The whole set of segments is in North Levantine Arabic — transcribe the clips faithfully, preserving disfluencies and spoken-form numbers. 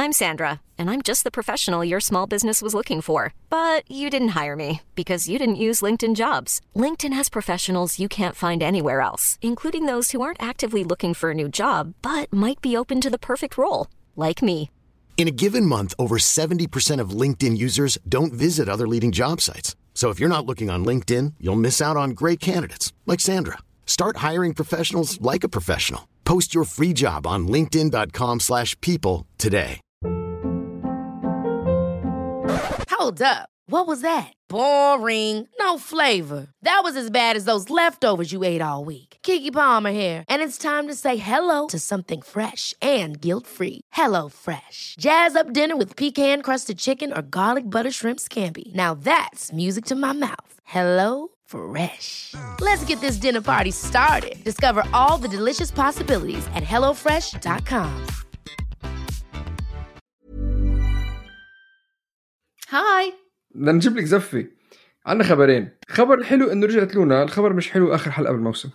I'm Sandra, and I'm just the professional your small business was looking for. But you didn't hire me because you didn't use LinkedIn Jobs. LinkedIn has professionals you can't find anywhere else, including those who aren't actively looking for a new job, but might be open to the perfect role, like me. In a given month, over seventy percent of LinkedIn users don't visit other leading job sites. So if you're not looking on LinkedIn, you'll miss out on great candidates like Sandra. Start hiring professionals like a professional. Post your free job on linkedin.com slash people today. Hold up. What was that? Boring. No flavor. That was as bad as those leftovers you ate all week. Keke Palmer here, and it's time to say hello to something fresh and guilt-free. Hello Fresh. Jazz up dinner with pecan-crusted chicken or garlic butter shrimp scampi. Now that's music to my mouth. Hello Fresh. Let's get this dinner party started. Discover all the delicious possibilities at hello fresh dot com. هاي بدنا نجيب لك زفة. عنا خبرين. خبر الحلو إنه رجعت لونا، الخبر مش حلو آخر حلقة بالموسم.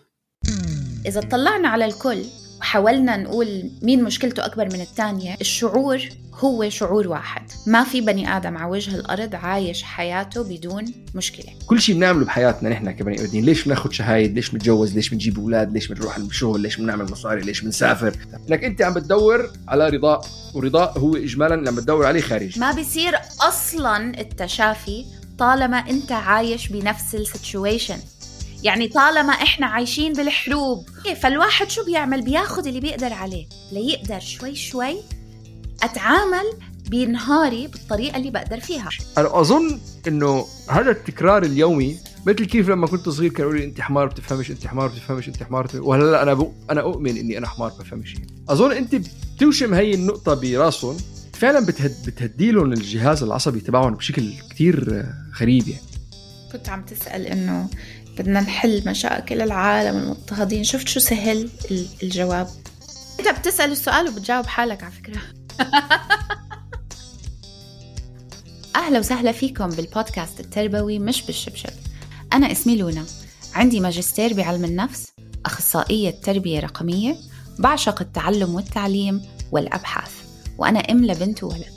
إذا طلعنا على الكل وحاولنا نقول مين مشكلته أكبر من التانية، الشعور هو شعور واحد. ما في بني آدم على وجه الأرض عايش حياته بدون مشكلة. كل شيء بنعمله بحياتنا نحن كبني آدمين، ليش بناخد شهايد، ليش بنتجوز، ليش بنجيب أولاد، ليش بنروح الشغل، ليش بنعمل مصاري، ليش بنسافر. لك أنت عم بتدور على رضاء، ورضاء هو إجمالاً اللي عم بتدور عليه خارج. ما بيصير أصلاً التشافي طالما أنت عايش بنفس السيتويشن. يعني طالما إحنا عايشين بالحروب، فالواحد شو بيعمل؟ بياخد اللي بيقدر عليه ليقدر شوي شوي أتعامل بنهاري بالطريقة اللي بقدر فيها. أنا أظن إنه هذا التكرار اليومي مثل كيف لما كنت صغير كانوا لي أنت حمار بتفهمش، أنت حمار بتفهمش، أنت حمار بتفهمش. وهلا أنا بق... أنا أؤمن إني أنا حمار بفهمش. أظن أنت بتوشم هاي النقطة براسهم، فعلا بتهد... بتهديلهم الجهاز العصبي تبعهم بشكل كتير غريب. يعني كنت عم تسأل إنه بدنا نحل مشاكل العالم المضطهدين، شفت شو سهل الجواب؟ أنت بتسأل السؤال وبتجاوب حالك على فكرة. أهلا وسهلا فيكم بالبودكاست التربوي مش بالشبشب. أنا اسمي لونا، عندي ماجستير بعلم النفس، أخصائية تربية رقمية، بعشق التعلم والتعليم والأبحاث، وأنا أم لبنت وولد.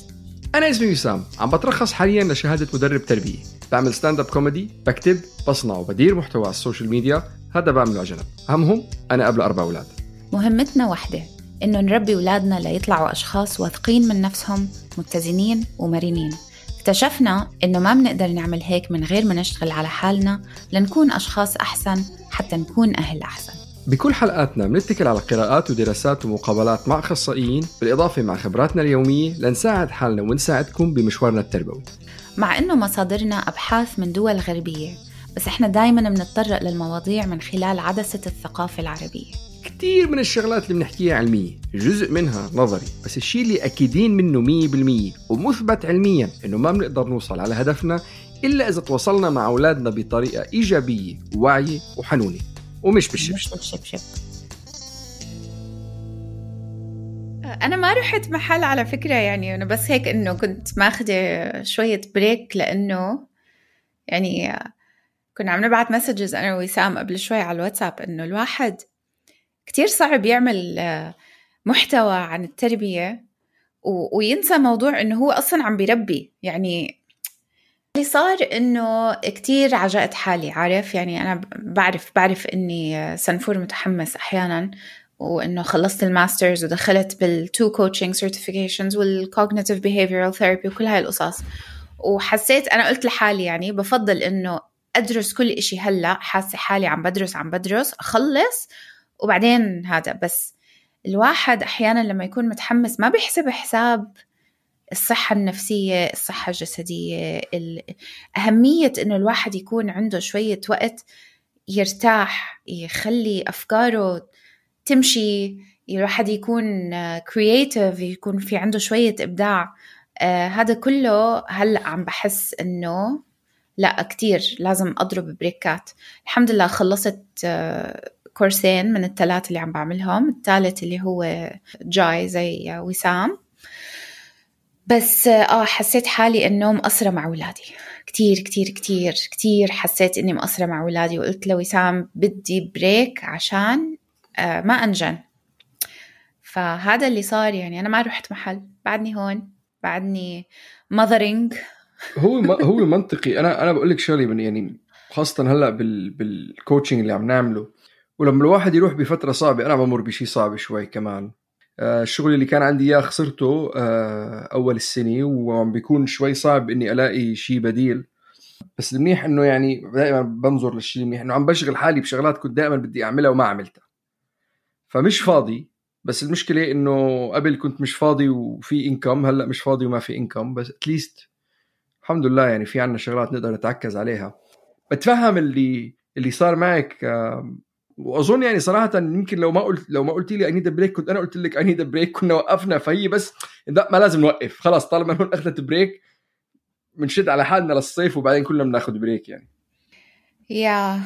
أنا اسمي وسام، عم بترخص حالياً لشهادة مدرب تربية، بعمل ستاند اب كوميدي، بكتب، بصنع وبدير محتوى على السوشيال ميديا، هذا بعمله على جنب. همهم أنا قبل أربع أولاد. مهمتنا واحدة، إنه نربي أولادنا ليطلعوا أشخاص واثقين من نفسهم، متزنين ومرنين. اكتشفنا إنه ما بنقدر نعمل هيك من غير ما نشتغل على حالنا لنكون أشخاص أحسن حتى نكون أهل أحسن. بكل حلقاتنا بنتكل على قراءات ودراسات ومقابلات مع أخصائيين، بالإضافة مع خبراتنا اليومية لنساعد حالنا ونساعدكم بمشوارنا التربوي. مع إنه مصادرنا أبحاث من دول غربية، بس إحنا دايماً بنتطرق للمواضيع من خلال عدسة الثقافة العربية. كتير من الشغلات اللي بنحكيها علمية، جزء منها نظري، بس الشيء اللي أكيدين منه مية بالمية ومثبت علمياً إنه ما بنقدر نوصل على هدفنا إلا إذا تواصلنا مع أولادنا بطريقة إيجابية وواعية وحنونة، ومش بالشبشب. بالشبشب. أنا ما رحت محل على فكرة، يعني أنا بس هيك إنه كنت ماخدة شوية بريك، لأنه يعني كنا عم نبعت مسجز أنا ووسام قبل شوي على الواتساب إنه الواحد كتير صعب يعمل محتوى عن التربية وينسى موضوع إنه هو أصلاً عم بيربي. يعني اللي صار إنه كتير عجقت حالي، عارف يعني أنا بعرف بعرف إني سنفور متحمس أحياناً، وإنه خلصت الماسترز ودخلت بالتو كوتشنج سيرتيفيكيشنز والكوغنيتيف بيهيفيرال ثيرابي وكل هاي القصص، وحسيت أنا قلت لحالي يعني بفضل إنه أدرس كل إشي هلأ، حاسة حالي عم بدرس عم بدرس أخلص وبعدين هذا. بس الواحد أحياناً لما يكون متحمس ما بيحسب حساب الصحة النفسية، الصحة الجسدية، أهمية إنه الواحد يكون عنده شوية وقت يرتاح، يخلي أفكاره تمشي، الواحد يكون creative، يكون في عنده شوية إبداع. آه هذا كله هلأ عم بحس إنه لا كتير لازم أضرب بريكات. الحمد لله خلصت آه كورسين من الثلاث اللي عم بعملهم، الثالث اللي هو جاي زي وسام، بس آه حسيت حالي إنه مقصرة مع أولادي كتير كتير كتير كتير. حسيت إني مقصرة مع أولادي، وقلت لوسام بدي بريك عشان آه ما أنجن. فهذا اللي صار. يعني أنا ما رحت محل، بعدني هون، بعدني mothering. هو هو منطقي. أنا أنا بقول لك شغلة من يعني خاصة هلأ بال بالكوتشنج اللي عم نعمله، ولما الواحد يروح بفترة صعبة، أنا بمر بشي صعب شوي كمان. آه الشغل اللي كان عندي إياه خسرته آه أول السنة، وعم بيكون شوي صعب إني ألاقي شي بديل. بس المنيح إنه يعني دائما بنظر للشيء المنيح إنه عم بشغل حالي بشغلات كنت دائما بدي أعملها وما عملتها، فمش فاضي. بس المشكلة إنه قبل كنت مش فاضي وفي إنكم، هلأ مش فاضي وما في إنكم. بس أتليست الحمد لله يعني في عنا شغلات نقدر نتعكز عليها. بتفهم اللي اللي صار معك، وأظن يعني صراحة يمكن لو ما قلت لو ما قلت لي I need a break كنت أنا قلت لك I need a break، كنا وقفنا. فهي بس لا، ما لازم نوقف خلاص، طالما هون أخذت بريك منشد على حالنا للصيف وبعدين كلنا بناخد بريك. يعني يا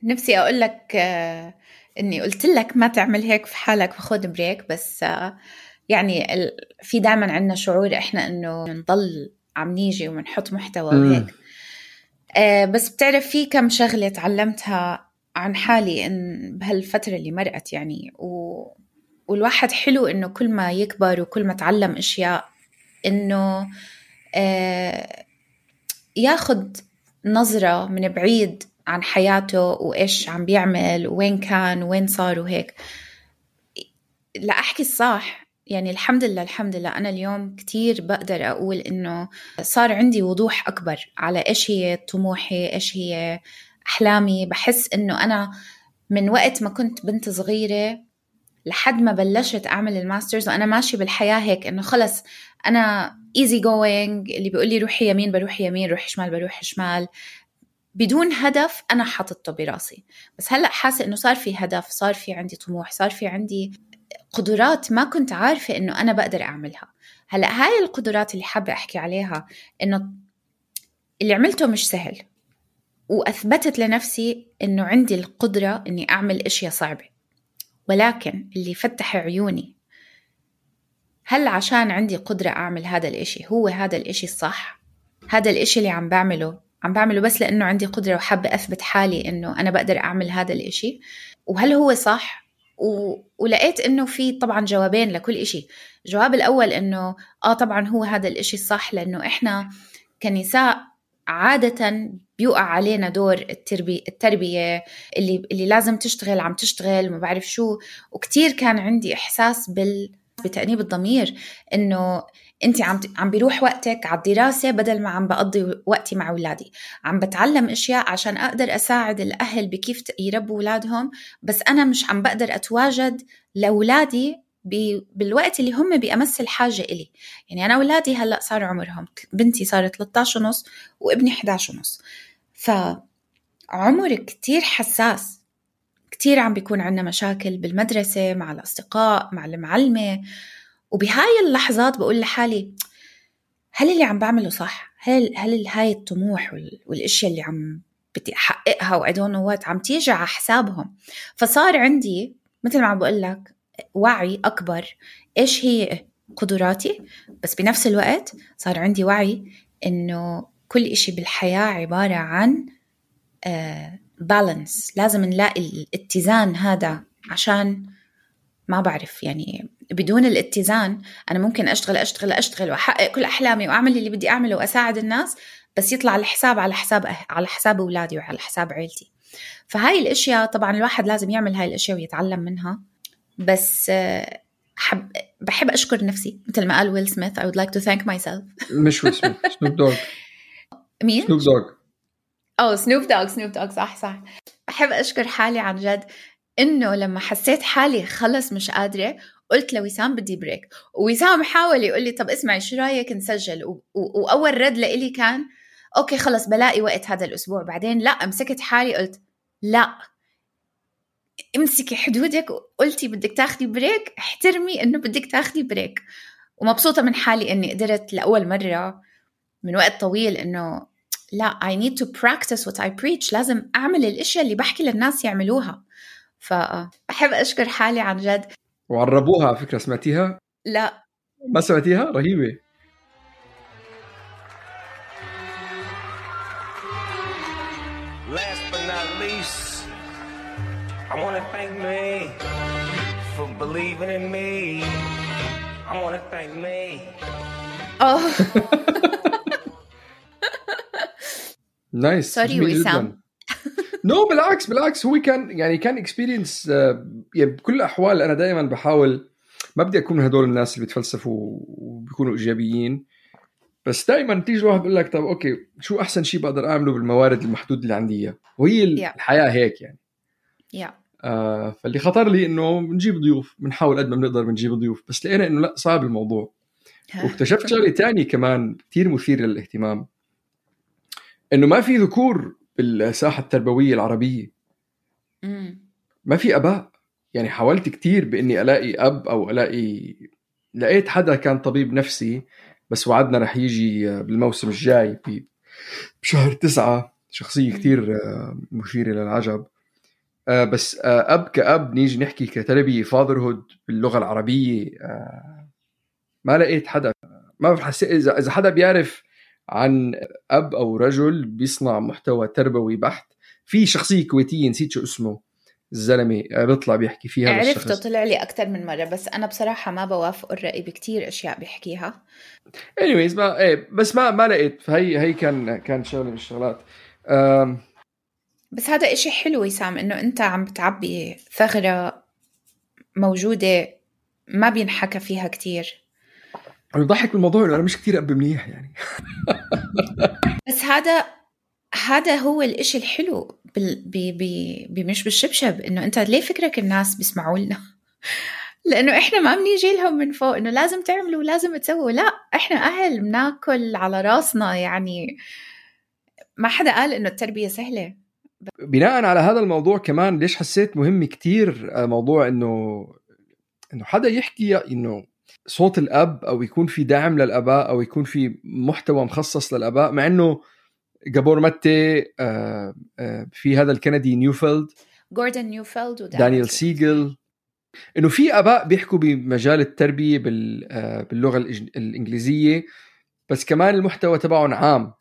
نفسي أقول لك آه إني قلت لك ما تعمل هيك في حالك وخد بريك، بس آه يعني في دائما عنا شعور إحنا إنه نضل عم نيجي ومنحط محتوى وهيك. آه بس بتعرف في كم شغلة تعلمتها عن حالي إن بهالفترة اللي مرقت يعني و... والواحد حلو إنه كل ما يكبر وكل ما تعلم أشياء إنه آه ياخد نظرة من بعيد عن حياته وإيش عم بيعمل وين كان وين صار وهيك. لا أحكي الصح يعني الحمد لله الحمد لله أنا اليوم كتير بقدر أقول إنه صار عندي وضوح أكبر على إيش هي طموحي، إيش هي أحلامي. بحس إنه أنا من وقت ما كنت بنت صغيرة لحد ما بلشت أعمل الماسترز وأنا ماشي بالحياة هيك إنه خلص أنا easy going، اللي بيقول لي روحي يمين بروح يمين، روحي شمال بروح شمال، بدون هدف أنا حاطته براسي. بس هلأ حاسة إنه صار في هدف، صار في عندي طموح، صار في عندي قدرات ما كنت عارفة إنه أنا بقدر أعملها. هلأ هاي القدرات اللي حابة أحكي عليها إنه اللي عملته مش سهل، وأثبتت لنفسي إنه عندي القدرة إني أعمل أشياء صعبة. ولكن اللي فتح عيوني هل عشان عندي قدرة أعمل هذا الإشي هو هذا الإشي الصح؟ هذا الإشي اللي عم بعمله عم بعمله بس لأنه عندي قدرة وحابة أثبت حالي إنه أنا بقدر أعمل هذا الإشي، وهل هو صح؟ و... ولقيت إنه في طبعا جوابين لكل إشي. الجواب الأول إنه آه طبعا هو هذا الإشي الصح، لأنه إحنا كنساء عادة بيوقع علينا دور التربية, التربية اللي, اللي لازم تشتغل عم تشتغل وما بعرف شو. وكتير كان عندي إحساس بال... بتأنيب الضمير إنه أنت عم عم بيروح وقتك على الدراسة بدل ما عم بقضي وقتي مع أولادي، عم بتعلم أشياء عشان أقدر أساعد الأهل بكيف يربوا أولادهم، بس أنا مش عم بقدر أتواجد لأولادي بالوقت اللي هم بأمس الحاجة إلي. يعني أنا أولادي هلأ صار عمرهم، بنتي صارت ثلاثة عشر ونص وابني إحدى عشر ونص، فعمر كتير حساس. كتير عم بيكون عنا مشاكل بالمدرسة مع الأصدقاء مع المعلمة، وبهاي اللحظات بقول لحالي هل اللي عم بعمله صح؟ هل هل هاي الطموح والاشياء اللي عم بدي احققها وادون وات عم تيجي على حسابهم؟ فصار عندي مثل ما عم بقول لك وعي اكبر ايش هي قدراتي، بس بنفس الوقت صار عندي وعي انه كل اشي بالحياة عبارة عن بالانس. uh, لازم نلاقي الاتزان هذا، عشان ما بعرف يعني بدون الاتزان أنا ممكن أشتغل أشتغل أشتغل وأحقق كل أحلامي وأعمل اللي بدي أعمله وأساعد الناس، بس يطلع الحساب على حساب على حساب أولادي وعلى حساب عيلتي. فهاي الأشياء طبعا الواحد لازم يعمل هاي الأشياء ويتعلم منها. بس حب بحب أشكر نفسي مثل ما قال ويل سميث I would like to thank myself. مش ويل سميث، سنوب دوغ. مين؟ سنوب دوغ. أو سنوب دوغ سنوب دوغ صح صح. بحب أشكر حالي عن جد إنه لما حسيت حالي خلص مش قادرة قلت لوسام بدي بريك، ووسام حاول يقول لي طب اسمعي شو رأيك نسجل، و- و- وأول رد لإلي كان أوكي خلص بلاقي وقت هذا الأسبوع. بعدين لا، مسكت حالي قلت لا، امسكي حدودك، قلتي بدك تاخدي بريك احترمي إنه بدك تاخدي بريك. ومبسوطة من حالي إني قدرت لأول مرة من وقت طويل إنه لا I need to practice what I preach، لازم أعمل الأشياء اللي بحكي للناس يعملوها. فأحب أشكر حالي عن جد. وعربوها على فكرة، سمعتيها؟ لا ما سمعتيها؟ رهيبة. Last but not least, I want to thank me for believing in me. I want to thank me. اه نايس. سوري وسام. نو بالعكس بالعكس هو كان يعني كان اكسبيرينس يعني بكل الاحوال. انا دائما بحاول ما بدي اكون من هدول الناس اللي بيتفلسفوا وبيكونوا ايجابيين، بس دائما تيجي الواحد بيقول لك طب اوكي شو احسن شيء بقدر اعمله بالموارد المحدود اللي عندي اياه، وهي Yeah. الحياه هيك يعني. yeah. آه فاللي خطر لي انه بنجيب ضيوف، بنحاول قد ما بنقدر بنجيب ضيوف، بس لقينا انه لا صعب الموضوع. واكتشفت شغله تانية كمان كتير مثير للاهتمام، انه ما في ذكور بالساحه التربويه العربيه. مم. ما في اباء. يعني حاولت كتير باني الاقي اب او الاقي، لقيت حدا كان طبيب نفسي بس وعدنا رح يجي بالموسم الجاي بشهر تسعة، شخصيه كتير مثيره للعجب. بس اب كاب نيجي نحكي كتربيه فاذرهود باللغه العربيه ما لقيت حدا. ما بحس اذا اذا حدا بيعرف عن اب او رجل بيصنع محتوى تربوي بحت. في شخصيه كويتيه نسيت شو اسمه الزلمه بيطلع بيحكي فيها، عرفته طلع لي اكثر من مره، بس انا بصراحه ما بوافق الراي بكتير اشياء بيحكيها. anyways ما ايه بس ما ما لقيت. فهي هي كان كان شغله من الشغلات. أم... بس هذا إشي حلو وسام، انه انت عم بتعبي ثغره موجوده ما بينحكى فيها كتير. انا بضحك بالموضوع انه انا مش كتير اب منيح يعني. بس هذا هذا هو الإشي الحلو بال... بي... بي... بمش بالشبشب، إنه أنت ليه فكرك الناس بيسمعوا لنا؟ لأنه إحنا ما بنيجي لهم من فوق إنه لازم تعملوا لازم تسووا، لا إحنا أهل بناكل على راسنا. يعني ما حدا قال إنه التربية سهلة. بناء على هذا الموضوع كمان ليش حسيت مهم كتير موضوع إنه إنه حدا يحكي إنه صوت الأب، أو يكون في دعم للأباء، أو يكون في محتوى مخصص للأباء. مع إنه جابور ماتي آه آه في هذا الكندي نيوفيلد، جوردن نيوفيلد ودانيال سيجل، إنه في أباء بيحكوا بمجال التربية آه باللغة الإنجليزية، بس كمان المحتوى تبعهم عام.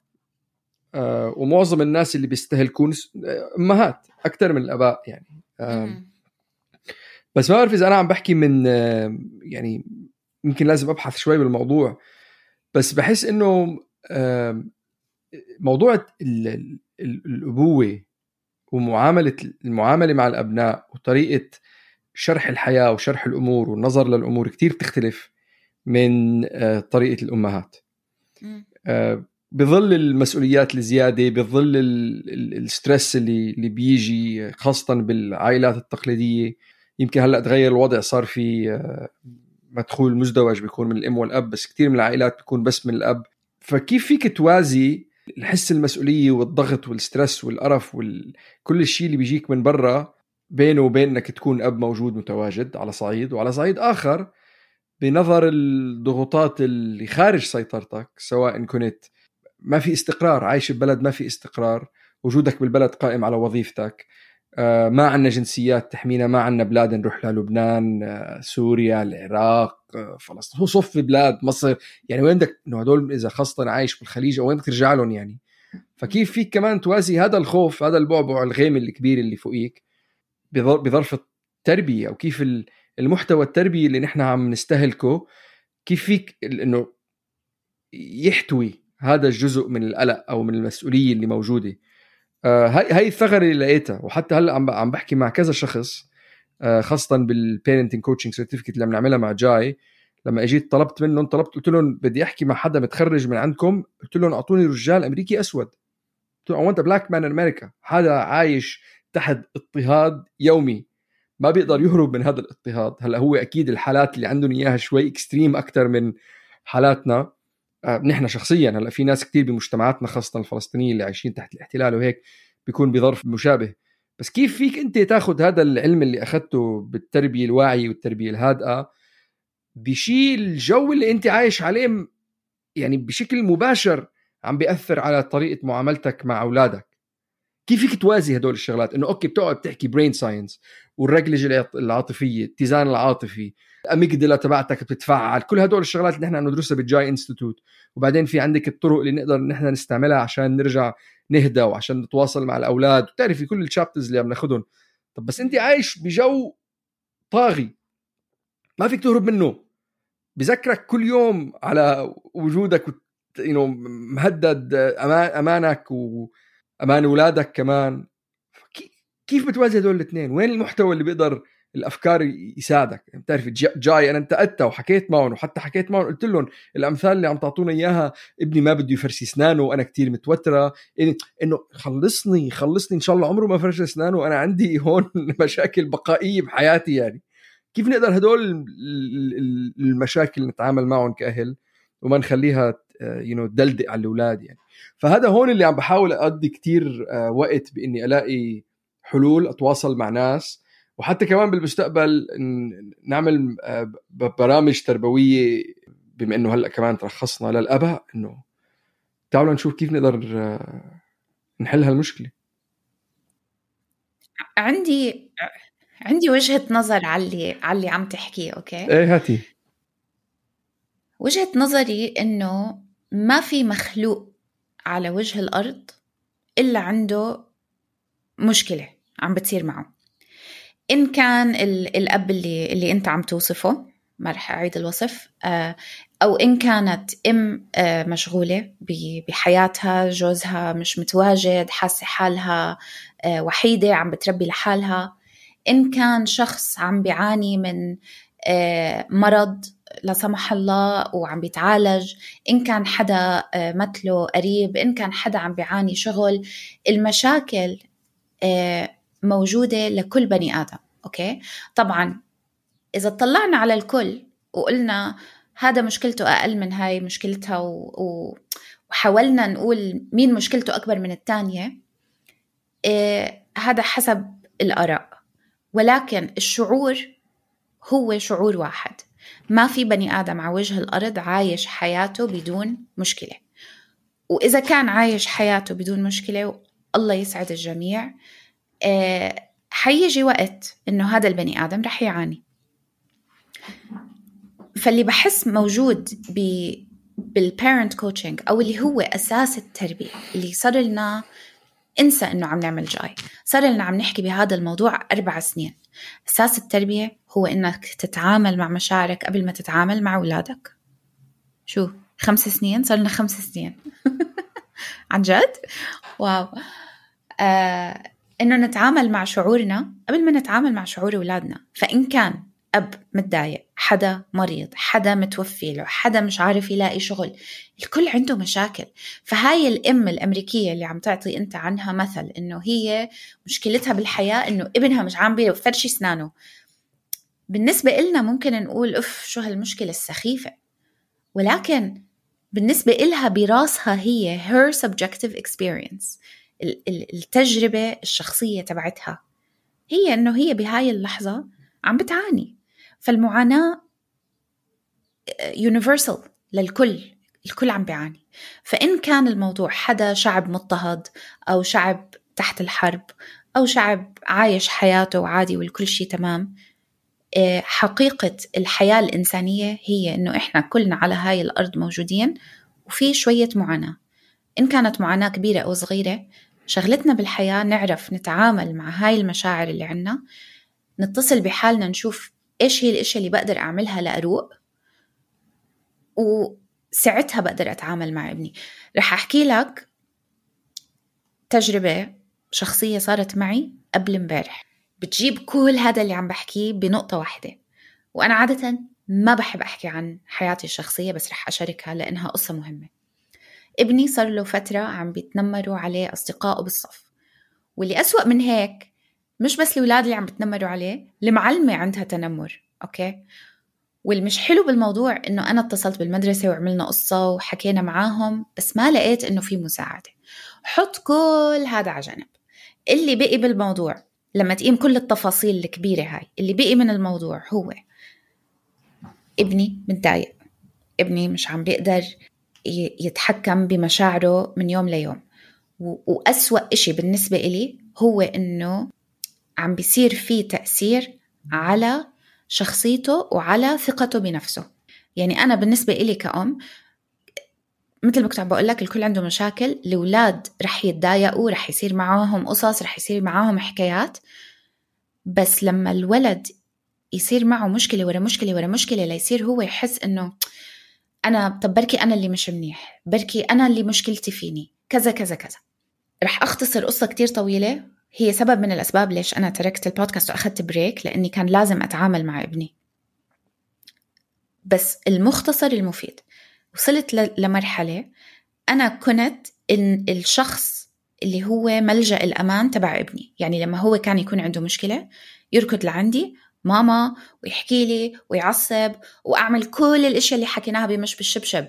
آه ومعظم الناس اللي بيستهلكون أمهات أكتر من الأباء يعني. آه بس ما أعرف إذا أنا عم بحكي من آه يعني يمكن لازم أبحث شوي بالموضوع. بس بحس إنه آه موضوع الأبوة ومعاملة المعاملة مع الأبناء وطريقة شرح الحياة وشرح الأمور والنظر للأمور كتير بتختلف من طريقة الأمهات. بظل المسؤوليات الزيادة، بظل السترس اللي اللي بيجي خاصة بالعائلات التقليدية. يمكن هلأ تغير الوضع، صار في مدخول مزدوج بيكون من الأم والأب، بس كتير من العائلات بيكون بس من الأب. فكيف فيك توازي الحس المسؤولية والضغط والسترس والقرف وكل الشيء اللي بيجيك من برا بينه وبين انك تكون اب موجود متواجد على صعيد، وعلى صعيد اخر بنظر الضغوطات اللي خارج سيطرتك، سواء كنت ما في استقرار، عايش ببلد ما في استقرار، وجودك بالبلد قائم على وظيفتك، ما عنا جنسيات تحمينا، ما عنا بلاد نروح لها، لبنان، سوريا، العراق، فلسطين، هو صف بلاد، مصر، يعني وين بدك انه هدول اذا خاصة عايش بالخليج او وين بدك ترجع لهم يعني. فكيف فيك كمان توازي هذا الخوف، هذا البعبع الغيم الكبير اللي فوقيك بظرف التربية، او كيف المحتوى التربية اللي نحن عم نستهلكه كيف فيك انه يحتوي هذا الجزء من القلق او من المسؤولية اللي موجودة. آه هاي هاي الثغرة اللي لقيتها، وحتى هلا عم عم بحكي مع كذا شخص، آه خاصة بالبيرنتنج كوتشنج سيرتيفيكت اللي بنعملها مع جاي. لما اجيت طلبت منهم، طلبت قلت لهم بدي احكي مع حدا متخرج من عندكم، قلت لهم اعطوني رجال امريكي اسود، قلت لهم I want a black man in America، حدا عايش تحت اضطهاد يومي ما بيقدر يهرب من هذا الاضطهاد. هلا هو اكيد الحالات اللي عندهم اياها شوي اكستريم اكتر من حالاتنا آه نحن شخصيا. هلا في ناس كتير بمجتمعاتنا خاصة الفلسطينيين اللي عايشين تحت الاحتلال وهيك بيكون بظرف مشابه. بس كيف فيك انت تاخد هذا العلم اللي اخذته بالتربية الواعية والتربية الهادئة بشيل الجو اللي انت عايش عليه، يعني بشكل مباشر عم بيأثر على طريقة معاملتك مع أولادك؟ كيف فيك توازي هدول الشغلات؟ انه اوكي بتقعد تحكي برين ساينس والرجلجة العاطفية، الاتزان العاطفي، الاميجدلا تبعتك بتتفعل، كل هدول الشغلات اللي نحن ندرسها بالجاي انستيتوت. وبعدين في عندك الطرق اللي نقدر نحن نستعملها عشان نرجع نهدى وعشان نتواصل مع الأولاد، وتعرفي كل الشابترز اللي عم ناخدهم. طب بس انت عايش بجو طاغي، ما فيك تهرب منه، بذكرك كل يوم على وجودك إنه مهدد أمان أمانك وأمان أولادك كمان. كيف بتوازي هدول الاثنين؟ وين المحتوى اللي بيقدر الأفكار يساعدك؟ بتعرف جاي أنا انتقدت وحكيت معهم، وحتى حكيت معهم قلت لهم الأمثال اللي عم تعطونا إياها، ابني ما بده يفرش أسنانه وأنا كتير متوترة، إنه خلصني خلصني إن شاء الله عمره ما فرش أسنانه وأنا عندي هون مشاكل بقائية بحياتي. يعني كيف نقدر هدول المشاكل نتعامل معهم كأهل وما نخليها ينو دلدق على الأولاد يعني. فهذا هون اللي عم بحاول أقضي كتير وقت بإني ألاقي حلول، أتواصل مع ناس، وحتى كمان بالمستقبل نعمل برامج تربوية، بما إنه هلأ كمان ترخصنا للأباء، إنه تعالوا نشوف كيف نقدر نحل هالمشكلة. عندي عندي وجهة نظر على على عم تحكيه. أوكي إيه هاتي. وجهة نظري إنه ما في مخلوق على وجه الأرض إلا عنده مشكلة عم بتصير معه. إن كان الأب اللي اللي أنت عم توصفه، ما رح أعيد الوصف، أو إن كانت أم مشغولة بحياتها، جوزها مش متواجد، حاسة حالها وحيدة عم بتربي لحالها، إن كان شخص عم بيعاني من مرض لا سمح الله وعم بيتعالج، إن كان حدا مثله قريب، إن كان حدا عم بيعاني شغل، المشاكل موجودة لكل بني آدم. أوكي طبعا إذا طلعنا على الكل وقلنا هذا مشكلته أقل من هاي مشكلتها وحاولنا نقول مين مشكلته أكبر من التانية، هذا حسب الآراء، ولكن الشعور هو شعور واحد. ما في بني آدم على وجه الأرض عايش حياته بدون مشكلة، وإذا كان عايش حياته بدون مشكلة الله يسعد الجميع، حيجي وقت إنه هذا البني آدم رح يعاني. فاللي بحس موجود بالparent coaching أو اللي هو أساس التربية، اللي صار لنا انسى إنه عم نعمل جاي، صار لنا عم نحكي بهذا الموضوع أربع سنين. أساس التربية هو إنك تتعامل مع مشاعرك قبل ما تتعامل مع أولادك. شو خمس سنين صار لنا خمس سنين عن جد واو. آه إنه نتعامل مع شعورنا قبل ما نتعامل مع شعور أولادنا. فإن كان أب متضايق، حدا مريض، حدا متوفي له، حدا مش عارف يلاقي شغل، الكل عنده مشاكل. فهاي الأم الأمريكية اللي عم تعطي أنت عنها مثل إنه هي مشكلتها بالحياة إنه ابنها مش عم بيفرش أسنانه، بالنسبة إلنا ممكن نقول أف شو هالمشكلة السخيفة، ولكن بالنسبة إلها براسها هي her subjective experience، التجربة الشخصية تبعتها هي إنه هي بهاي اللحظة عم بتعاني. فالمعاناة universal للكل، الكل عم بيعاني. فإن كان الموضوع حدا شعب مضطهد أو شعب تحت الحرب أو شعب عايش حياته وعادي والكل شيء تمام، حقيقة الحياة الإنسانية هي إنه إحنا كلنا على هاي الأرض موجودين وفي شوية معاناة. إن كانت معاناة كبيرة أو صغيرة، شغلتنا بالحياة نعرف نتعامل مع هاي المشاعر اللي عنا، نتصل بحالنا نشوف إيش هي الأشياء اللي بقدر أعملها لأروق، وساعتها بقدر أتعامل مع ابني. رح أحكي لك تجربة شخصية صارت معي قبل امبارح بتجيب كل هذا اللي عم بحكيه بنقطة واحدة. وأنا عادة ما بحب أحكي عن حياتي الشخصية، بس رح أشاركها لأنها قصة مهمة. ابني صار له فترة عم بيتنمروا عليه أصدقائه بالصف، واللي أسوأ من هيك مش بس الأولاد اللي عم بتنمروا عليه، المعلمة عندها تنمر. أوكي والمش حلو بالموضوع إنه أنا اتصلت بالمدرسة وعملنا قصة وحكينا معاهم، بس ما لقيت إنه في مساعدة. حط كل هذا على جنب. اللي بقي بالموضوع لما تقيم كل التفاصيل الكبيرة هاي، اللي بقي من الموضوع هو ابني متضايق، ابني مش عم بيقدر يتحكم بمشاعره من يوم ليوم، وأسوأ إشي بالنسبة إلي هو إنه عم بيصير فيه تأثير على شخصيته وعلى ثقته بنفسه. يعني أنا بالنسبة إلي كأم، مثل ما كنت عم بقول لك، الكل عنده مشاكل، الأولاد رح يتضايقوا، رح يصير معاهم قصص، رح يصير معاهم حكايات، بس لما الولد يصير معه مشكلة ورا مشكلة ورا مشكلة ليصير هو يحس إنه أنا طب بركي أنا اللي مش منيح، بركي أنا اللي مشكلتي فيني كذا كذا كذا. رح أختصر قصة كتير طويلة، هي سبب من الأسباب ليش أنا تركت البودكاست وأخذت بريك، لأني كان لازم أتعامل مع ابني. بس المختصر المفيد، وصلت لمرحلة أنا كنت إن الشخص اللي هو ملجأ الأمان تبع ابني. يعني لما هو كان يكون عنده مشكلة يركض لعندي ماما ويحكي لي ويعصب، وأعمل كل الأشياء اللي حكيناها بمش بالشبشب.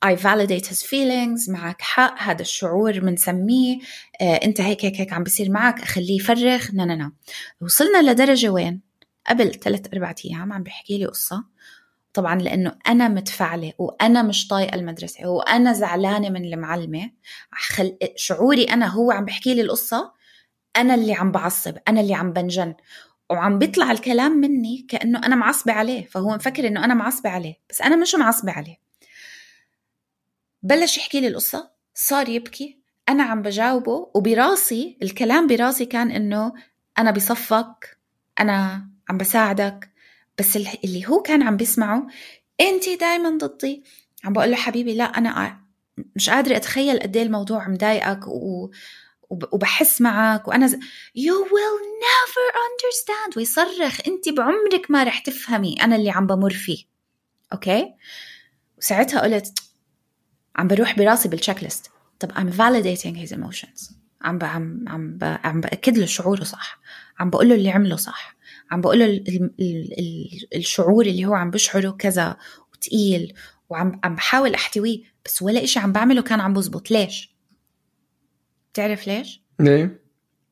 I validate his feelings، معك حق، هذا الشعور منسميه، آه، انت هيك هيك هيك عم بيصير معك، أخليه يفرغ. نا نا نا وصلنا لدرجة وين قبل ثلاث أربعة أيام عم بيحكي لي قصة، طبعا لأنه أنا متفعلة وأنا مش طايقة المدرسة وأنا زعلانة من المعلمة، خل... شعوري أنا هو عم بحكي لي القصة، أنا اللي عم بعصب، أنا اللي عم بنجن، وعم بيطلع الكلام مني كأنه أنا معصبة عليه، فهو مفكر إنه أنا معصبة عليه، بس أنا مش معصبة عليه. بلش يحكي لي القصة، صار يبكي، أنا عم بجاوبه، وبراسي الكلام براسي كان إنه أنا بصفك، أنا عم بساعدك، بس اللي هو كان عم بيسمعه أنتي دايما ضدي. عم بقول له حبيبي لا، أنا مش قادرة أتخيل قد ايه الموضوع مضايقك و... وبحس معك، وأنا ز... you will never understand، ويصرخ أنتي بعمرك ما رح تفهمي أنا اللي عم بمر فيه. أوكي، وساعتها قلت عم بروح براسي بالتشيك ليست، طب I'm validating his emotions، عم ب... عم عم ب... عم بأكد له شعوره صح، عم بقول له اللي عمله صح، عم بقول له ال... ال... ال... الشعور اللي هو عم بشعره كذا وتقيل، وعم عم بحاول أحتويه، بس ولا إشي عم بعمله كان عم بزبط. ليش؟ تعرف ليش؟ ليه؟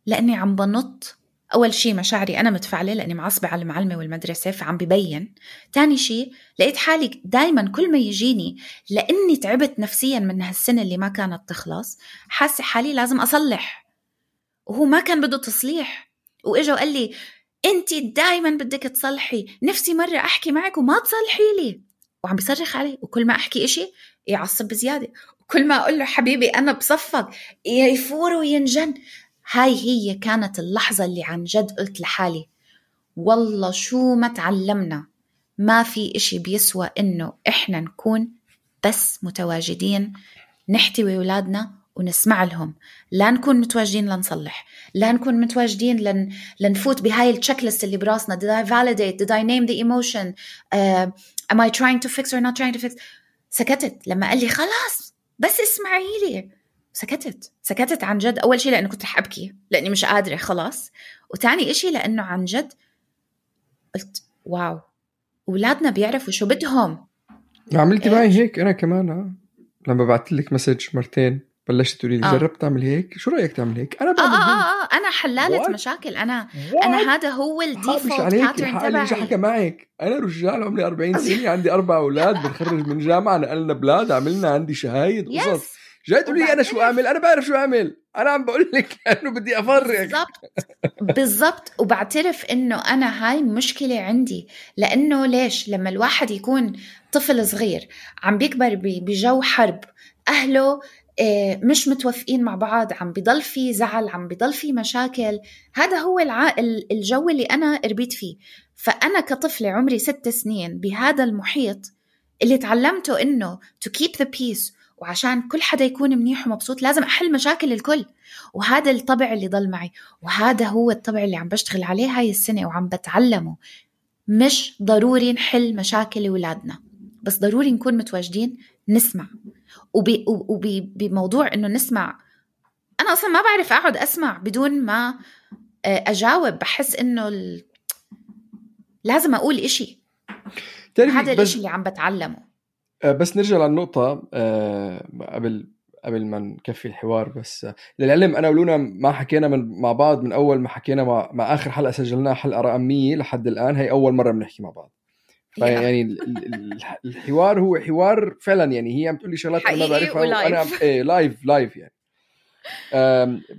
لأني عم بنط. أول شيء مشاعري أنا متفعلة لأني معصبة على المعلمة والمدرسة، فعم ببين. تاني شيء لقيت حالي دايما كل ما يجيني، لأني تعبت نفسيا من هالسنة اللي ما كانت تخلص، حاسة حالي لازم أصلح، وهو ما كان بده تصليح، وإجا وقال لي أنتي دايما بدك تصلحي، نفسي مرة أحكي معك وما تصلحي لي، وعم بيصرخ علي، وكل ما أحكي إشي يعصب بزيادة، وكل ما أقول له حبيبي أنا بصفك يفور وينجن. هاي هي كانت اللحظة اللي عن جد قلت لحالي والله شو ما تعلمنا، ما في إشي بيسوى إنه إحنا نكون بس متواجدين، نحتوي أولادنا ونسمع لهم، لا نكون متواجدين لنصلح، لا نكون متواجدين لن... لنفوت بهاي التشيك ليست اللي براسنا. did I validate, did I name the emotion, uh, am I trying to fix or not trying to fix. سكتت لما قال لي خلاص بس اسمعي لي، سكتت سكتت عن جد. أول شيء لأنه كنت رح أبكي لأني مش قادرة خلاص، وتاني إشي لأنه عن جد قلت واو أولادنا بيعرفوا شو بدهم. عملتي معي هيك أنا كمان ها؟ لما بعت لك مسج مرتين بلشت تقولي لي جربت تعمل هيك، شو رأيك تعمل هيك؟ أنا بعمل آه هيك. آه آه أنا حلالة What? مشاكل، أنا What? أنا هذا هو الديفولت باترن تبعي. إيش حكى معك؟ أنا رجال عمري أربعين سنة، عندي أربع أولاد، بنخرج من جامعة، نقلنا بلاد، عملنا عندي شهايد قصص، جاي تقولي لي أنا شو أعمل؟ أنا بعرف شو أعمل، أنا عم بقول لك أنه بدي أفرق. بالضبط بالضبط. وبعترف إنه أنا هاي مشكلة عندي، لأنه ليش لما الواحد يكون طفل صغير عم بيكبر بجو حرب، أهله مش متوافقين مع بعض، عم بيضل في زعل، عم بيضل في مشاكل، هذا هو الع... الجو اللي أنا ربيت فيه. فأنا كطفلة عمري ست سنين بهذا المحيط اللي تعلمته إنه to keep the peace، وعشان كل حدا يكون منيح ومبسوط لازم أحل مشاكل الكل، وهذا الطبع اللي ضل معي، وهذا هو الطبع اللي عم بشتغل عليه هاي السنة وعم بتعلمه. مش ضروري نحل مشاكل أولادنا، بس ضروري نكون متواجدين نسمع. وبي وبموضوع إنه نسمع، أنا أصلا ما بعرف أقعد أسمع بدون ما أجاوب، بحس إنه ال... لازم أقول إشي، هذا الإشي اللي عم بتعلمه. بس نرجع للنقطة أه قبل قبل ما نكفي الحوار، بس للعلم أنا ولونا ما حكينا من مع بعض من أول ما حكينا مع, مع آخر حلقة سجلناها، حلقة رقم مية لحد الآن، هي أول مرة بنحكي مع بعض. يعني الحوار هو حوار فعلا، يعني هي عم تقول لي شغلات أنا ما بعرفها وأنا إيه لايف لايف يعني.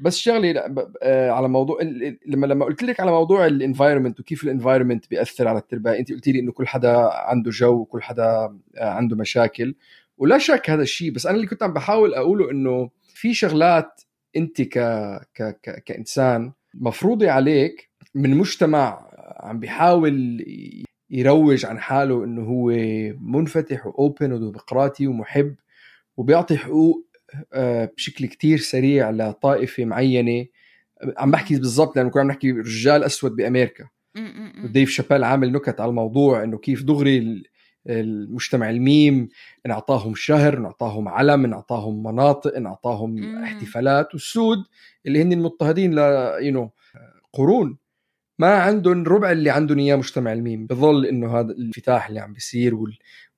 بس شغلي على موضوع لما لما قلت لك على موضوع الانفايرمنت وكيف الانفايرمنت بيأثر على التربية، أنت قلتي لي إنه كل حدا عنده جو وكل حدا عنده مشاكل، ولا شك هذا الشيء. بس أنا اللي كنت عم بحاول أقوله إنه في شغلات أنت ك ك ك كإنسان مفروضة عليك من مجتمع عم بيحاول يروج عن حاله إنه هو منفتح وأوبن وديمقراطي ومحب وبيعطي حقوق بشكل كتير سريع لطائفة معينة. عم بحكي بالضبط لأنه كنا عم نحكي رجال أسود بأمريكا، وديف شابيل عامل نكت على الموضوع إنه كيف دغري المجتمع الميم نعطاهم شهر، نعطاهم علم، نعطاهم مناطق، نعطاهم احتفالات، والسود اللي هن المضطهدين ل ينو قرون ما عندهم ربع اللي عندهم إياه مجتمع الميم. بظل إنه هذا الانفتاح اللي عم بيصير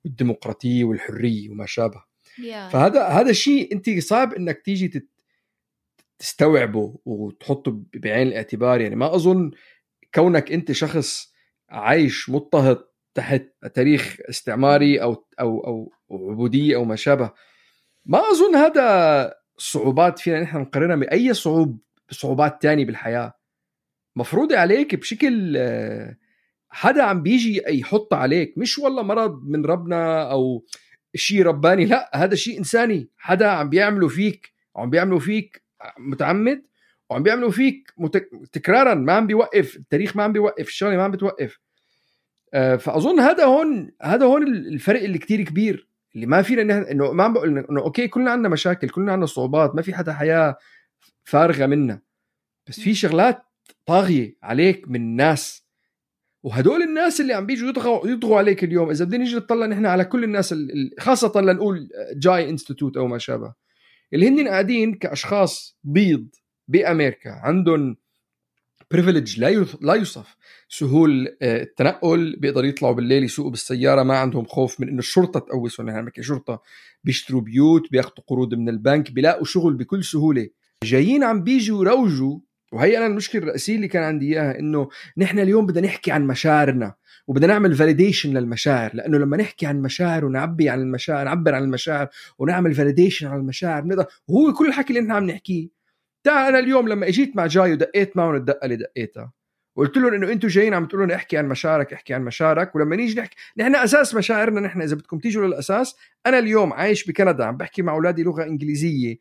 والديمقراطية والحرية وما شابه. yeah. فهذا هذا شيء أنت صعب إنك تيجي تستوعبه وتحطه بعين الاعتبار. يعني ما أظن كونك أنت شخص عايش مضطهد تحت تاريخ استعماري أو أو أو عبودية أو ما شابه، ما أظن هذا صعوبات فينا نحن نقارنها بأي صعوب صعوبات تانية بالحياة مفروضة عليك بشكل حدا عم بيجي يحط عليك، مش والله مرض من ربنا أو شيء رباني، لا هذا شيء إنساني حدا عم بيعملوا فيك، عم بيعملوا فيك متعمد وعم بيعملوا فيك متك... تكرارا، ما عم بيوقف التاريخ، ما عم بيوقف الشغله، ما عم بتوقف. أه فأظن هذا هون هذا هون الفرق اللي كتير كبير اللي ما فينا نحن إنه ما عم بقول إنه أوكي كلنا عندنا مشاكل، كلنا عندنا صعوبات، ما في حدا حياة فارغة منا، بس في شغلات طاغية عليك من ناس، وهدول الناس اللي عم بيجوا يضغوا يضغوا عليك اليوم. إذا بدنا نيجي نطلع نحن على كل الناس خاصة لنقول جاي انستيتوت أو ما شابه، اللي هن قاعدين كأشخاص بيض بأمريكا عندهم بريفيليج لا لا يوصف، سهول التنقل، بيقدروا يطلعوا بالليل يسوقوا بالسيارة، ما عندهم خوف من إنه الشرطة تقوسهم. نحن بنحكي شرطة، بيشتروا بيوت، بياخدوا قروض من البنك، بيلاقوا شغل بكل سهولة. جايين عم بيجوا يروجوا، وهي أنا المشكلة الرئيسية اللي كان عندي إياها إنه نحن اليوم بدنا نحكي عن مشاعرنا وبدنا نعمل فاليديشن للمشاعر، لأنه لما نحكي عن مشاعر ونعبي عن المشاعر، نعبر عن المشاعر ونعمل فاليديشن عن المشاعر بنقدر. وهو كل الحكي اللي نحن عم نحكيه. تعال أنا اليوم لما إجيت مع جاي ودقيت معهم الدقة اللي دقيتها وقلت لهم إنه أنتوا جايين عم تقولون احكي عن مشاعرك، احكي عن مشاعرك، ولما نيجي نحكي نحن أساس مشاعرنا نحن، إذا بدكم تيجوا للأساس، أنا اليوم عايش بكندا عم بحكي مع أولادي لغة إنجليزية،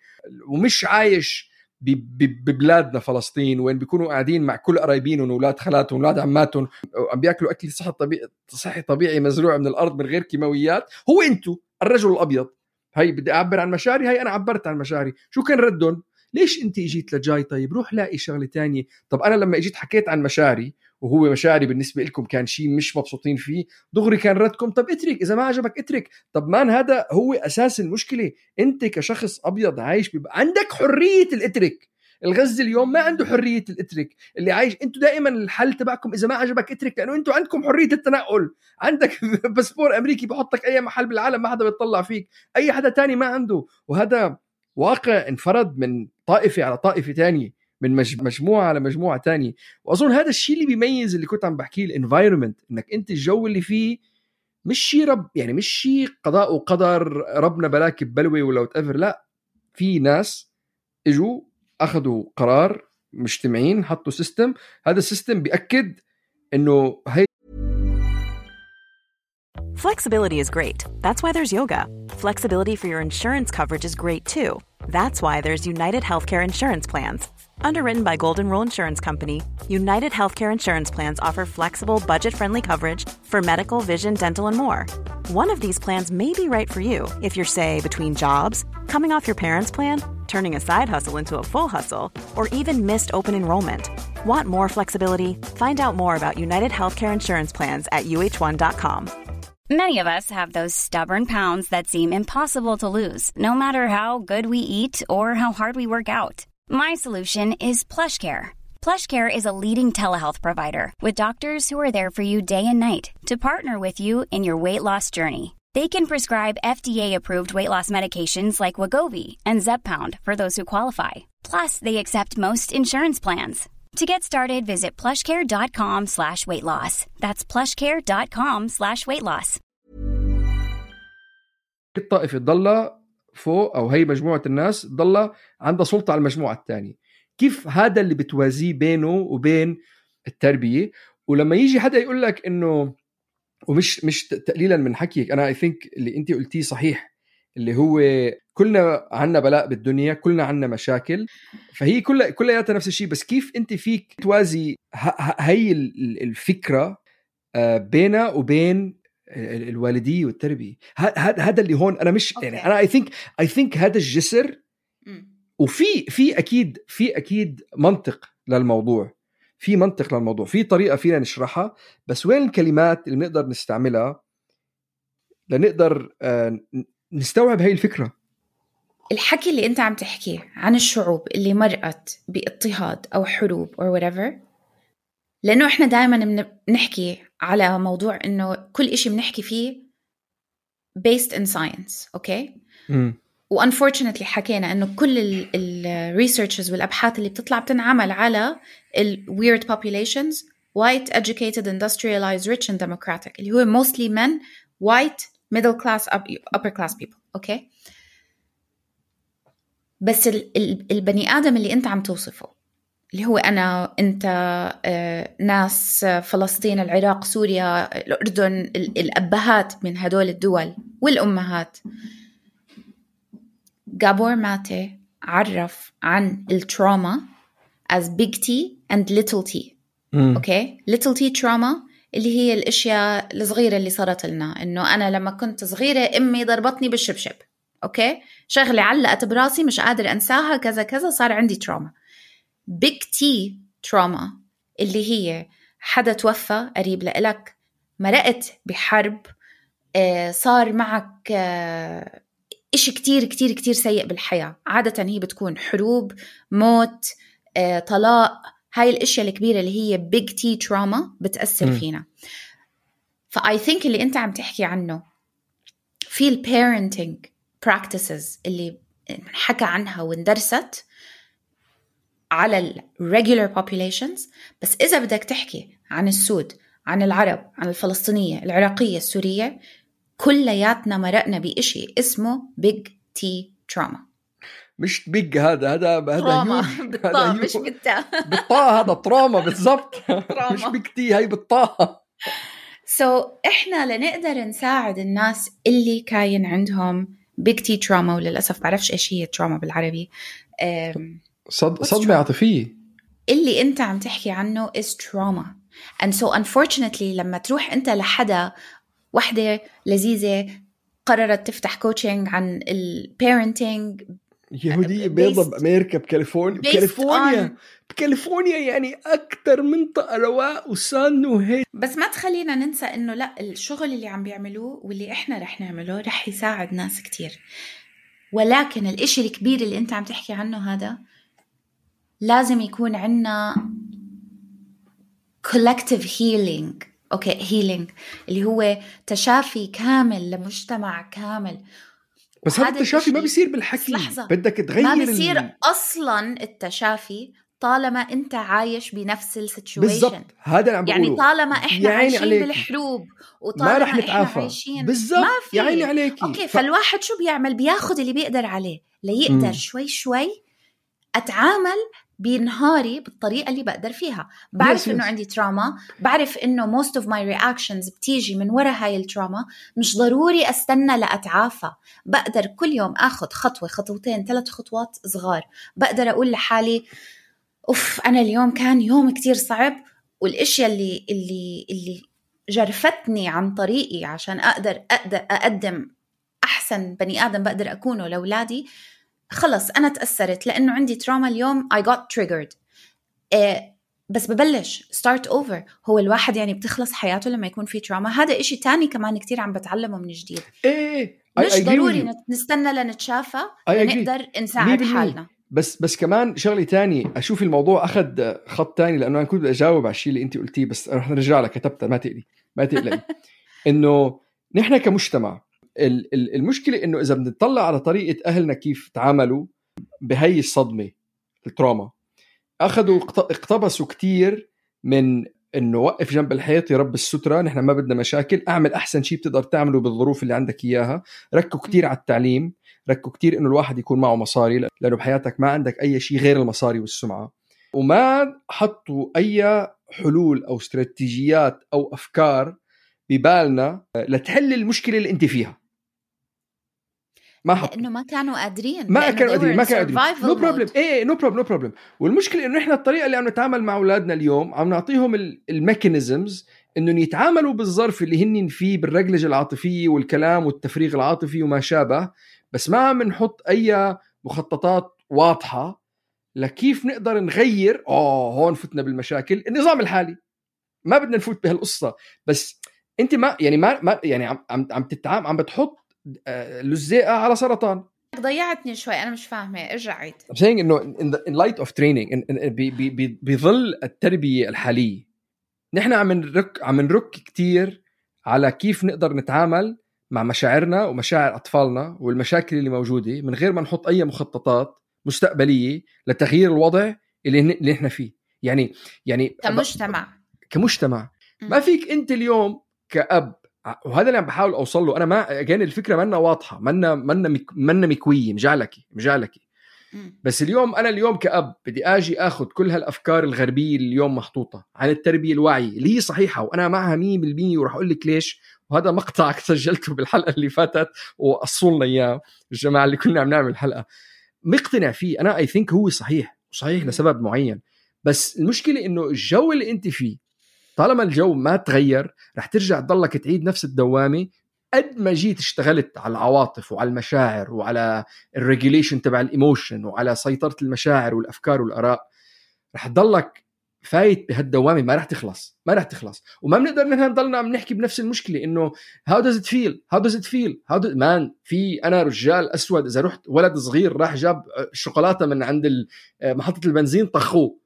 ومش عايش ببلادنا فلسطين وين بيكونوا قاعدين مع كل قرايبينهم وولاد خالاتهم وولاد عماتهم وعم بياكلوا أكل صحي طبيعي صحي طبيعي مزروع من الأرض من غير كيماويات. هو أنتوا الرجل الأبيض، هاي بدي أعبر عن مشاعري، هاي أنا عبرت عن مشاعري. شو كان ردهم؟ ليش أنت إجيت لجاي؟ طيب روح لاقي شغلة تانية. طب أنا لما إجيت حكيت عن مشاعري وهو مشاعري بالنسبة لكم كان شيء مش مبسوطين فيه، دغري كان ردكم طب اترك، إذا ما عجبك اترك. طب مان هذا هو أساس المشكلة. أنت كشخص أبيض عايش بيبقى عندك حرية الاترك. الغزي اليوم ما عنده حرية الاترك، اللي عايش انتوا دائما الحل تبعكم اذا ما عجبك اترك، لانه انتوا عندكم حرية التنقل، عندك باسبور امريكي بحطك اي محل بالعالم ما حدا بيطلع فيك، اي حدا تاني ما عنده. وهذا واقع انفرد من طائفة على طائفة تانية، من مجموعة على مجموعة تانية. واظن هذا الشيء اللي بيميز اللي كنت عم بحكيه الانفايرمنت، انك انت الجو اللي فيه مش شيء رب يعني مش شيء قضاء وقدر ربنا بلاك ببلوي ولا وتأفر، لا، في ناس اجوا أخذوا قرار مجتمعين، حطوا سيستم، هذا السيستم بيأكد إنه هي. Flexibility is great. That's why there's yoga. Flexibility for your insurance coverage is great too. That's why there's United Healthcare Insurance Plans. Underwritten by Golden Rule Insurance Company, United Healthcare Insurance Plans offer flexible, budget-friendly coverage for medical, vision, dental, and more. One of these plans may be right for you if you're, say, between jobs, coming off your parents' plan, turning a side hustle into a full hustle, or even missed open enrollment. Want more flexibility? Find out more about United Healthcare Insurance Plans at U H one dot com. Many of us have those stubborn pounds that seem impossible to lose, no matter how good we eat or how hard we work out. My solution is PlushCare. PlushCare is a leading telehealth provider with doctors who are there for you day and night to partner with you in your weight loss journey. They can prescribe F D A-approved weight loss medications like Wegovy and Zepbound for those who qualify. Plus, they accept most insurance plans. To get started, visit plushcare.com slash weight loss. That's plushcare.com slash weight loss. الطائفة ضل فوق، أو هي مجموعة الناس ضل عندها سلطة على المجموعة الثانية. كيف هذا اللي بتوازيه بينه وبين التربية؟ ولما يجي حدا يقول لك إنه، ومش مش تقليلا من حكيك، أنا I think اللي أنت قلتيه صحيح، اللي هو كلنا عنا بلاء بالدنيا، كلنا عنا مشاكل، فهي كلها كلياتها نفس الشيء. بس كيف انت فيك توازي هاي الفكرة بينها وبين الوالدية والتربية؟ هذا اللي هون انا مش يعني انا اي ثينك اي ثينك هذا الجسر. وفي في اكيد في اكيد منطق للموضوع، في منطق للموضوع، في طريقة فينا نشرحها، بس وين الكلمات اللي نقدر نستعملها لنقدر نستوعب هاي الفكرة؟ الحكي اللي انت عم تحكيه عن الشعوب اللي مرقت باضطهاد او حروب or whatever، لانه احنا دائما بنحكي على موضوع انه كل اشي بنحكي فيه based in science، اوكي؟ م. و unfortunately حكينا انه كل ال researches والابحاث اللي بتطلع بتنعمل على ال weird populations white educated industrialized rich and democratic، اللي هو mostly men white middle class upper class people، اوكي؟ بس ال ال البني آدم اللي انت عم توصفه، اللي هو أنا أنت آه، ناس فلسطين العراق سوريا الأردن، الأبهات من هدول الدول والأمهات، جابور ماتي عرف عن التراما as big T and little T. أوكي okay? little T trauma اللي هي الأشياء الصغيرة اللي صارت لنا، إنه أنا لما كنت صغيرة أمي ضربتني بالشبشب، أوكي okay? شغلة علقت براسي مش قادر أنساها كذا كذا، صار عندي تراما. big T trauma اللي هي حدا توفى قريب لإلك، مرقت بحرب، آه صار معك آه إشي كتير كتير كتير سيء بالحياة، عادة هي بتكون حروب، موت، آه طلاق، هاي الأشياء الكبيرة اللي هي big T trauma بتأثر م. فينا. فأي think اللي أنت عم تحكي عنه في ال parenting practices اللي حكى عنها واندرست على ال regular populations، بس إذا بدك تحكي عن السود، عن العرب، عن الفلسطينية، العراقية، السورية، كلياتنا مرقنا بإشي اسمه big T trauma. مش big، هذا هذا هذا بالطاء مش بالتاء بالطاء، هذا تراما بالضبط مش big T، هاي بالطاء. so إحنا لنقدر نساعد الناس اللي كاين عندهم big T trauma، وللأسف بعرفش إيش هي trauma بالعربي، صد... صدمة عاطفية اللي انت عم تحكي عنه is trauma. and so unfortunately لما تروح انت لحدا، وحدة لذيذة قررت تفتح كوتشنج عن ال parenting، يهودية بيضة بأمريكا بكاليفورنيا بكاليفورنيا on... بكاليفورنيا يعني أكتر منطقة رواء وسان وهيك. بس ما تخلينا ننسى إنه لا، الشغل اللي عم بيعملوه واللي إحنا رح نعمله رح يساعد ناس كتير، ولكن الإشي الكبير اللي أنت عم تحكي عنه هذا لازم يكون عنا collective healing. أوكي okay, healing اللي هو تشافي كامل لمجتمع كامل. بس هذا التشافي ما بيصير بالحكي، بدك تغير، ما بيصير ال... أصلا التشافي طالما أنت عايش بنفس السيتويشن. بالضبط، هذا اللي عم بقوله. يعني طالما إحنا عايشين عليك. بالحروب وطالما ما رح إحنا نتعافى. عايشين بالضبط، يا عيني عليكي. أوكي ف... فالواحد شو بيعمل؟ بياخد اللي بيقدر عليه ليقدر م. شوي شوي أتعامل بنهاري بالطريقة اللي بقدر فيها. بعرف yes, إنه yes. عندي تراما، بعرف إنه most of my reactions بتيجي من وراء هاي التراما، مش ضروري أستنى لأتعافى، بقدر كل يوم أخذ خطوة خطوتين ثلاث خطوات صغار، بقدر أقول لحالي أوف أنا اليوم كان يوم كتير صعب، والإشياء اللي اللي اللي جرفتني عن طريقي عشان أقدر أقدر أقدم أحسن بني آدم بقدر أكونه لأولادي، خلص أنا تأثرت لأنه عندي تراما اليوم I got triggered. إيه بس ببلش start over. هو الواحد يعني بتخلص حياته لما يكون في تراما، هذا إشي تاني كمان كتير عم بتعلمه من جديد. إيه مش ضروري نستنى لنتشافى نقدر نساعد حالنا. بس بس كمان شغلي تاني، أشوف الموضوع أخذ خط تاني، لأنه أنا كنت أجاوب على الشيء اللي أنت قلتيه، بس رح نرجع لك كتبتها، ما تقلي ما تقلي إنه نحن كمجتمع المشكلة إنه إذا بنطلع على طريقة أهلنا كيف تعاملوا بهاي الصدمة التراما، أخذوا اقتبسوا كتير من إنه وقف جنب الحيط يرب السترة، نحن ما بدنا مشاكل، أعمل أحسن شيء بتقدر تعمله بالظروف اللي عندك إياها، ركوا كتير على التعليم، ركوا كتير إنه الواحد يكون معه مصاري، لأنه بحياتك ما عندك أي شيء غير المصاري والسمعة، وما حطوا أي حلول أو استراتيجيات أو أفكار ببالنا لتحل المشكلة اللي أنت فيها. ما حطوا لانه ما كانوا قادرين ما كانوا قادرين ما كانوا قادرين نو بروبلم mode. ايه نو بروبلم نو بروبلم والمشكله انه احنا الطريقه اللي عم نتعامل مع اولادنا اليوم عم نعطيهم الميكانيزمز انهم يتعاملوا بالظرف اللي هن فيه بالرجلجه العاطفيه والكلام والتفريغ العاطفي وما شابه، بس ما عم نحط اي مخططات واضحه لكيف نقدر نغير. اه هون فتنا بالمشاكل. النظام الحالي ما بدنا نفوت بهالقصه، بس انت ما يعني ما, ما يعني عم عم عم تتعامل عم بتحط لزقه على سرطان. ضيعتني شوي انا مش فاهمه، ارجع عيد. I'm saying انه in, the, in light of training in, in, ب, ب, بظل التربيه الحاليه نحن عم نرك عم نرك كتير على كيف نقدر نتعامل مع مشاعرنا ومشاعر اطفالنا والمشاكل اللي موجوده من غير ما نحط اي مخططات مستقبليه لتغيير الوضع اللي اللي احنا فيه. يعني يعني كمجتمع كمجتمع ما فيك انت اليوم كأب، وهذا اللي عم بحاول اوصل له انا. ما كان الفكره منا واضحه، منا منا مك منا مكويه مجعلكي مجعلكي بس اليوم انا اليوم كأب بدي اجي اخذ كل هالافكار الغربيه اللي اليوم محطوطه عن التربيه الواعيه اللي هي صحيحه وانا معها مية بالمية، وراح اقول لك ليش. وهذا مقطع سجلته بالحلقه اللي فاتت وقصوا اياه الجماعه اللي كنا عم نعمل حلقه، مقتنع فيه انا. اي ثينك هو صحيح وصحيح لسبب معين، بس المشكله انه الجو اللي انت فيه طالما الجو ما تغير رح ترجع تضلك تعيد نفس الدوامة. قد ما جيت اشتغلت على العواطف وعلى المشاعر وعلى الريجوليشن تبع الإيموشن وعلى سيطرة المشاعر والأفكار والآراء، رح تضلك فايت بهالدوامة ما رح تخلص ما رح تخلص. وما بنقدر نحن نضلنا عم نحكي بنفس المشكلة إنه how does it feel how does it feel how does... مان في أنا رجال أسود إذا رحت ولد صغير راح جاب الشوكولاتة من عند محطة البنزين طخوه،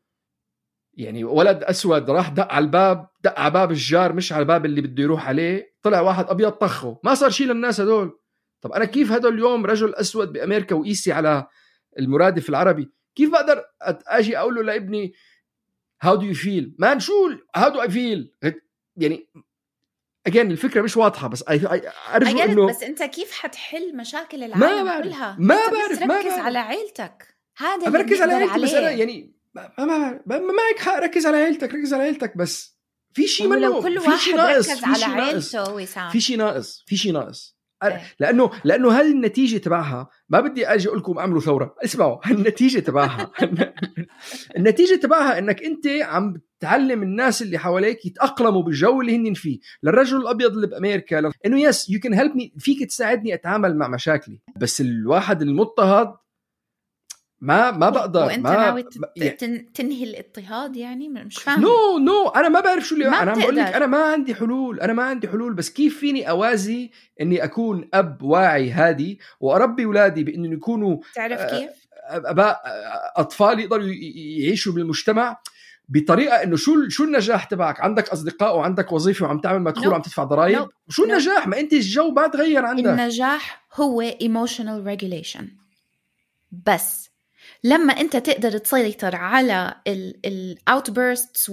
يعني ولد أسود راح دق على الباب، دق على باب الجار مش على الباب اللي بده يروح عليه، طلع واحد أبيض طخه، ما صار شيء للناس هدول. طب أنا كيف هدول اليوم رجل أسود بأمريكا وقيسي على المرادف العربي، كيف بقدر أجي أقول له لابني how do you feel man شو how do I feel؟ يعني again الفكرة مش واضحة، بس أرجو إنه بس أنت كيف حتحل مشاكل العالم ما كلها؟ ما بعرف ما ركز على عيلتك، هذا اللي بركز على عيلتي. بس أنا يعني ما ما ما معك حق ركز على عيلتك ركز على عيلتك بس في شيء منه كل في واحد شيء ناقص ركز على عيلته ويسام في شيء ناقص في شيء ناقص لأنه لأنه هذه النتيجة تبعها. ما بدي أجي أقول لكم أعملوا ثورة، اسمعوا النتيجة تبعها النتيجة تبعها إنك أنت عم تعلم الناس اللي حواليك يتأقلموا بالجو اللي هن فيه. للرجل الأبيض اللي بأمريكا ل... إنه يس you can help me، فيك تساعدني أتعامل مع مشاكلي، بس الواحد المضطهد ما ما بقدر. وانت ما ناوي يعني تنهي الاضطهاد؟ يعني مش فاهم. نو نو انا ما بعرف شو اللي ما انا عم بقول لك. بتقدر. انا ما عندي حلول انا ما عندي حلول بس كيف فيني اوازي اني اكون اب واعي هادي واربي اولادي بانه يكونوا تعرف كيف اباء اطفال يقدروا يعيشوا بالمجتمع بطريقه انه شو شو النجاح تبعك؟ عندك اصدقاء وعندك وظيفه وعم تعمل مدخول وعم تدفع ضرائب. no. شو no. النجاح؟ ما انت الجو ما تغير عندك. النجاح هو emotional regulation. بس لما انت تقدر تسيطر على الاوتبيرستس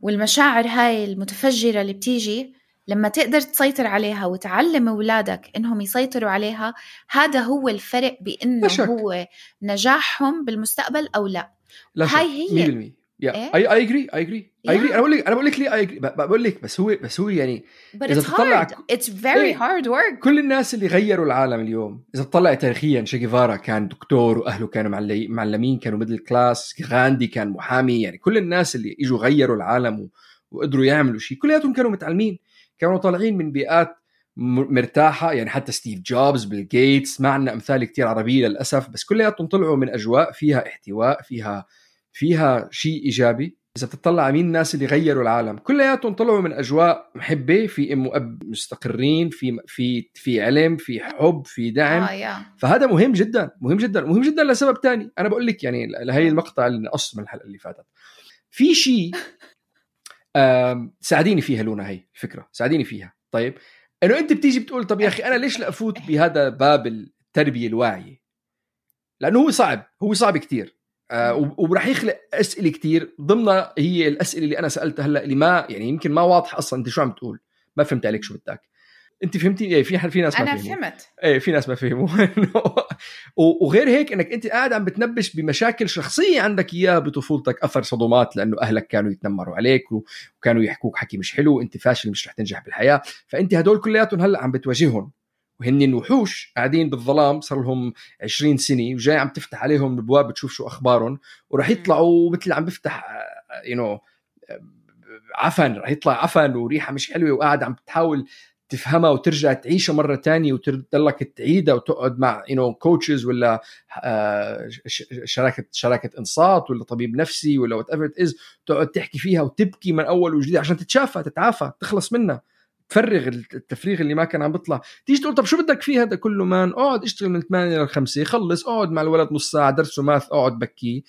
والمشاعر هاي المتفجرة اللي بتيجي، لما تقدر تسيطر عليها وتعلم أولادك إنهم يسيطروا عليها، هذا هو الفرق بإنه هو نجاحهم بالمستقبل أو لا. لا هاي هي مية بالمية. يا اي اي اجري اي اجري اي اجري انا بقول لك انا بقول لك ليه اي بقول لك بس هو بس هو يعني But اذا تطلع it's very ايه hard work. كل الناس اللي غيروا العالم اليوم اذا تطلع تاريخيا، شي جيفارا كان دكتور واهله كانوا معلمين كانوا ميدل كلاس، غاندي كان محامي، يعني كل الناس اللي اجوا غيروا العالم وقدروا يعملوا شيء كلياتهم كانوا متعلمين، كانوا طالعين من بيئات مرتاحة. يعني حتى ستيف جوبز، بيل جيتس، ما عندنا امثال كتير عربية للاسف، بس كلياتهم طلعوا من اجواء فيها احتواء، فيها فيها شيء إيجابي. إذا بتطلع مين الناس اللي غيروا العالم كلياتهم طلعوا من أجواء محبة، في أم وأب مستقرين، في في في علم، في حب، في دعم. آه فهذا مهم جدا مهم جدا مهم جدا لسبب تاني. أنا بقول لك يعني لهي المقطع اللي نقص من الحلقة اللي فاتت في شيء ساعديني فيها لونا، هي الفكرة ساعديني فيها. طيب إنه أنت بتيجي بتقول طب يا أخي أنا ليش لا أفوت بهذا باب التربية الواعية؟ لأنه هو صعب هو صعب كتير. آه ورح يخلق أسئلة كتير ضمنها هي الأسئلة اللي أنا سألتها هلأ اللي ما يعني يمكن ما واضح أصلا أنت شو عم تقول، ما فهمت عليك شو بدك. أنت فهمتي؟ إيه في في ناس ما أنا فهموا. فهمت. إيه في ناس ما فهموا. وغير هيك إنك أنت قاعد عم بتنبش بمشاكل شخصية عندك إياها بطفولتك، أثر صدمات لأنه أهلك كانوا يتنمروا عليك وكانوا يحكوك حكي مش حلو، أنت فاشل مش رح تنجح بالحياة، فأنت هدول كلياتهم هلأ عم بتواجههم وهن الوحوش قاعدين بالظلام صار لهم عشرين سنة وجاي عم تفتح عليهم البواب بتشوف شو أخبارهم ورح يطلعوا مثل عم بفتح you know عفن، رح يطلع عفن وريحة مش حلوة وقاعد عم تحاول تفهمها وترجع تعيشها مرة تانية وتضلك تعيدها وتقعد مع you know coaches ولا شراكة شراكة إنصات ولا طبيب نفسي ولا whatever it is، تقعد تحكي فيها وتبكي من أول وجديد عشان تتشافى تتعافى تخلص منها، تفرغ التفريغ اللي ما كان عم بيطلع. تيجي تقول طب شو بدك فيه هذا كله مان؟ اقعد اشتغل من ثمانية لخمسة، خلص اقعد مع الولد نص ساعة درسه ماث اقعد بكيه،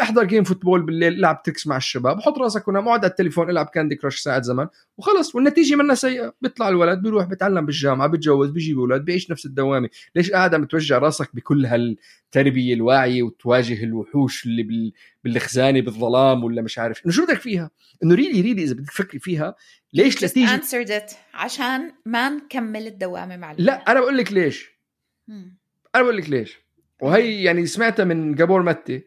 احضر جيم فوتبول بالليل، لعب تكس مع الشباب، حط راسك ونام، اقعد على التليفون العب كاندي كراش ساعة زمن وخلص، والنتيجة منها سيئة. بيطلع الولد بيروح بيتعلم بالجامعة بيتجوز بيجيب أولاد بيعيش نفس الدوامة. ليش قاعد عم توجع راسك بكل هالتربية الواعية وتواجه الوحوش اللي بال... بالخزانة بالظلام ولا مش عارف انه شو بدك فيها؟ انه ريلي ريلي اذا بدك تفكري فيها ليش لا تيجي answered it عشان ما نكمل الدوامة مع الولد. لا انا بقول لك ليش مم. انا بقول لك ليش، وهي يعني سمعتها من جابور ماتي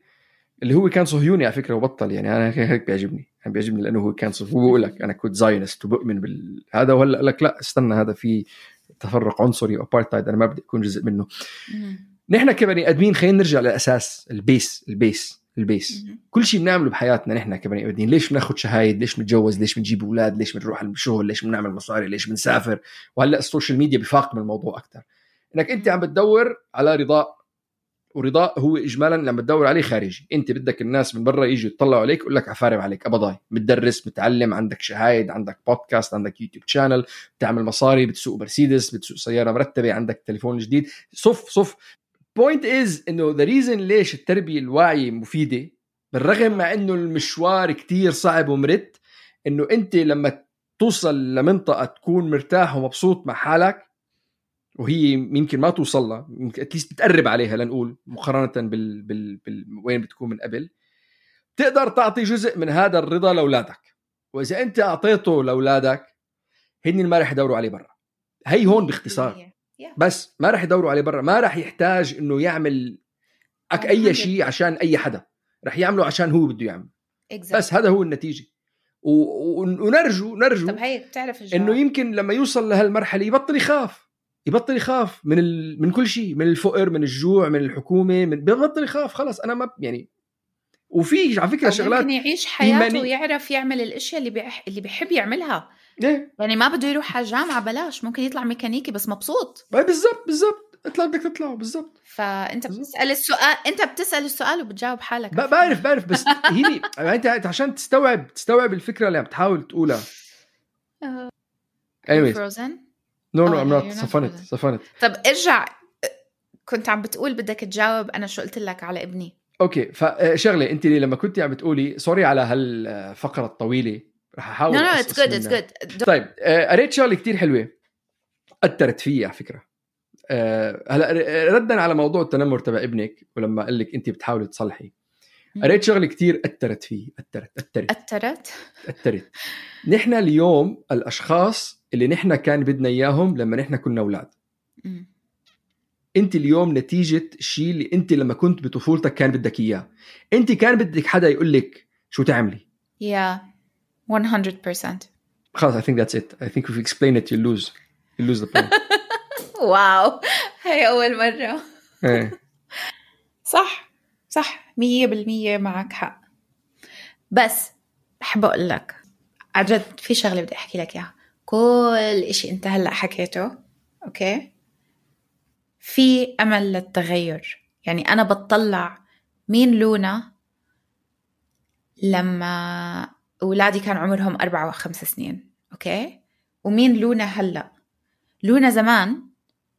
اللي هو كان صهيوني على فكرة وبطل، يعني انا هيك بيعجبني، انا بيعجبني لانه هو كان صهيوني وبقول لك انا كنت زاينست وبؤمن بالهذا، وهلا قال لك لا استنى هذا في تفرق عنصري وابارتايد انا ما بدي اكون جزء منه. مم. نحن كبني ادمين خلينا نرجع للاساس، البيس البيس البيس مم. كل شيء بنعمله بحياتنا نحن كبني ادمين. ليش بناخذ شهايد؟ ليش بنتجوز؟ ليش بنجيب اولاد؟ ليش بنروح الشغل؟ ليش بنعمل مصاري؟ ليش بنسافر؟ وهلا السوشيال ميديا بفاقم الموضوع اكثر، انك انت عم بتدور على رضاء، ورضاء هو اجمالا لما تدور عليه خارجي. انت بدك الناس من برا يجوا يطلعوا عليك يقول لك عفارم عليك ابضاي، متدرس متعلم عندك شهايد عندك بودكاست عندك يوتيوب شانل بتعمل مصاري بتسوق مرسيدس بتسوق سياره مرتبه عندك تليفون جديد. صف صف point is انه the reason ليش التربيه الواعيه مفيده بالرغم مع انه المشوار كتير صعب ومرت، انه انت لما توصل لمنطقه تكون مرتاح ومبسوط مع حالك وهي يمكن ما توصل لها، يمكن اتليست بتقرب عليها لنقول مقارنه بال... بال... بال... وين بتكون من قبل، تقدر تعطي جزء من هذا الرضا لاولادك. واذا انت اعطيته لاولادك هن ما راح يدوروا عليه برا. هي هون باختصار، بس ما راح يدوروا عليه برا، ما راح يحتاج انه يعمل أك اي شيء عشان اي حدا، راح يعمله عشان هو بده يعمل exactly. بس هذا هو النتيجه. و... ونرجو نرجو طب هيك بتعرف الجواب. انه يمكن لما يوصل لهالمرحله يبطل يخاف، يبطل يخاف من ال... من كل شيء، من الفقر من الجوع من الحكومه، من بيبطل يخاف خلاص. انا ما يعني وفي على فكره شغلات ممكن يعيش حياته ويعرف يعمل الاشياء اللي بيح... اللي بيحب يعملها. إيه؟ يعني ما بده يروح على الجامعه بلاش، ممكن يطلع ميكانيكي بس مبسوط. بالضبط بالضبط اطلع بدك تطلع بالضبط. فانت بتسال السؤال، انت بتسال السؤال وبتجاوب حالك. بعرف بعرف بس هي انت عشان تستوعب تستوعب الفكره اللي عم تحاول تقولها. anyways frozen no no I'm not صفنت صفنت. طب ارجع، كنت عم بتقول بدك تجاوب انا شو قلت لك على ابني. اوكي فشغله انت لما كنت عم بتقولي سوري على هالفقره الطويله رح احاول. no no it's good it's good. طيب قريت شغله كتير حلوه اثرت فيي على فكره. هلا ردا على موضوع التنمر تبع ابنك ولما قال لك انت بتحاولي تصلحي، قريت شغله كتير اثرت فيي اثرت اثرت اثرت اثرت نحن اليوم الاشخاص اللي نحن كان بدنا اياهم لما نحن كنا اولاد. م. انت اليوم نتيجه الشيء اللي انت لما كنت بطفولتك كان بدك اياه. انت كان بدك حدا يقول لك شو تعملي. yeah one hundred percent. خلاص I think that's it. I think if you explain it you lose you lose the point. واو هاي أول مرة. صح صح مية بالمية معك حق. بس بحب أقول لك عجد في شغلة بدي أحكي لك إياها. كل إشي أنت هلأ حكيته أوكي في أمل للتغير. يعني أنا بتطلع مين لونا لما أولادي كان عمرهم أربعة وخمس سنين أوكي، ومين لونا هلأ. لونا زمان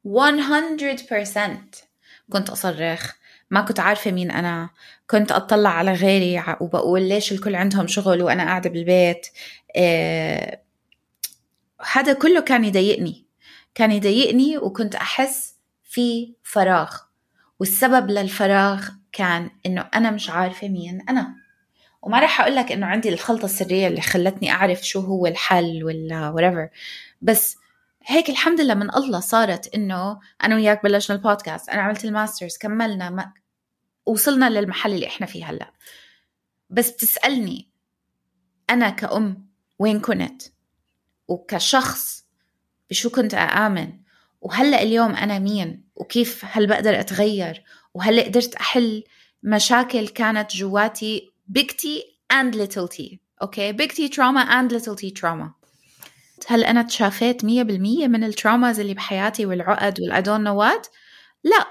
one hundred percent كنت أصرخ، ما كنت عارفة مين أنا، كنت أطلع على غيري وبقول ليش الكل عندهم شغل وأنا قاعدة بالبيت. إيه هذا كله كان يضايقني كان يضايقني وكنت أحس في فراغ، والسبب للفراغ كان إنه أنا مش عارفة مين أنا. وما رح أقولك إنه عندي الخلطة السرية اللي خلتني أعرف شو هو الحل ولا whatever، بس هيك الحمد لله من الله صارت إنه أنا وياك بلشنا البودكاست، أنا عملت الماسترز، كملنا ما... وصلنا للمحل اللي إحنا فيه هلأ. بس بتسألني أنا كأم وين كنت وكشخص بشو كنت أآمن وهلأ اليوم أنا مين وكيف هل بقدر أتغير وهل قدرت أحل مشاكل كانت جواتي big T and little t. أوكي big T trauma and little t trauma. هل أنا تشافيت مية بالمية من التراماز اللي بحياتي والعقد والI don't know what؟ لا،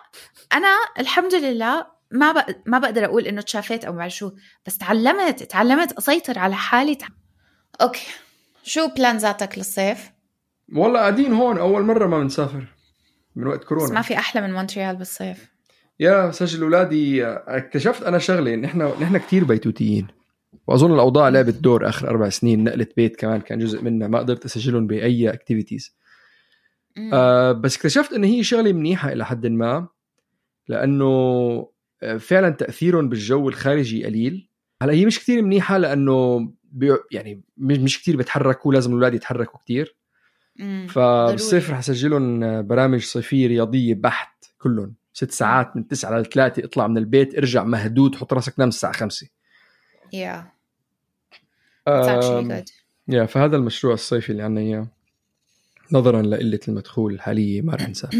أنا الحمد لله ما بق... ما بقدر أقول إنه تشافيت أو بعد شو، بس تعلمت تعلمت أسيطر على حالي. أوكي، شو بلانزاتك للصيف؟ والله قاعدين هون أول مرة ما بنسافر من وقت كورونا. بس ما في أحلى من مونتريال بالصيف. يا سجل أولادي، اكتشفت أنا شغلة إن إحنا نحن كتير بيتوتيين، وأظن الأوضاع لعبت دور آخر أربع سنين. نقلت بيت كمان كان جزء منها، ما قدرت أسجلهم بأي أكتيفيتيز. آه بس اكتشفت إن هي شغلة منيحة إلى حد ما، لأنه فعلا تأثيرهم بالجو الخارجي قليل. هلا هي مش كتير منيحة لأنه بي يعني مش كتير بتحركوا، لازم الأولاد يتحركوا كتير. فبالصيف رح أسجلهم برامج صيفية رياضية بحت كلهم، ست ساعات من تسعة لثلاثة، اطلع من البيت ارجع مهدود، حط راسك نام الساعة خمسة. yeah that's actually good. yeah فهذا المشروع الصيفي اللي عنا إياه، نظرا لقلة المدخول الحالية ما رح نسافر.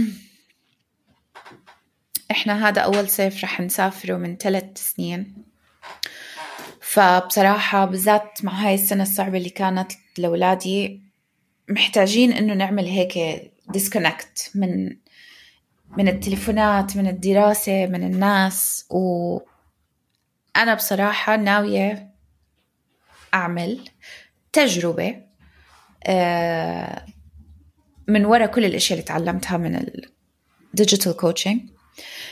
إحنا هذا أول صيف رح نسافره من ثلاث سنين، فبصراحة بالذات مع هاي السنة الصعبة اللي كانت لأولادي محتاجين إنه نعمل هيك disconnect من من التليفونات، من الدراسة، من الناس. وأنا بصراحة ناوية أعمل تجربة من وراء كل الأشياء اللي تعلمتها من الديجيتال كوتشنج،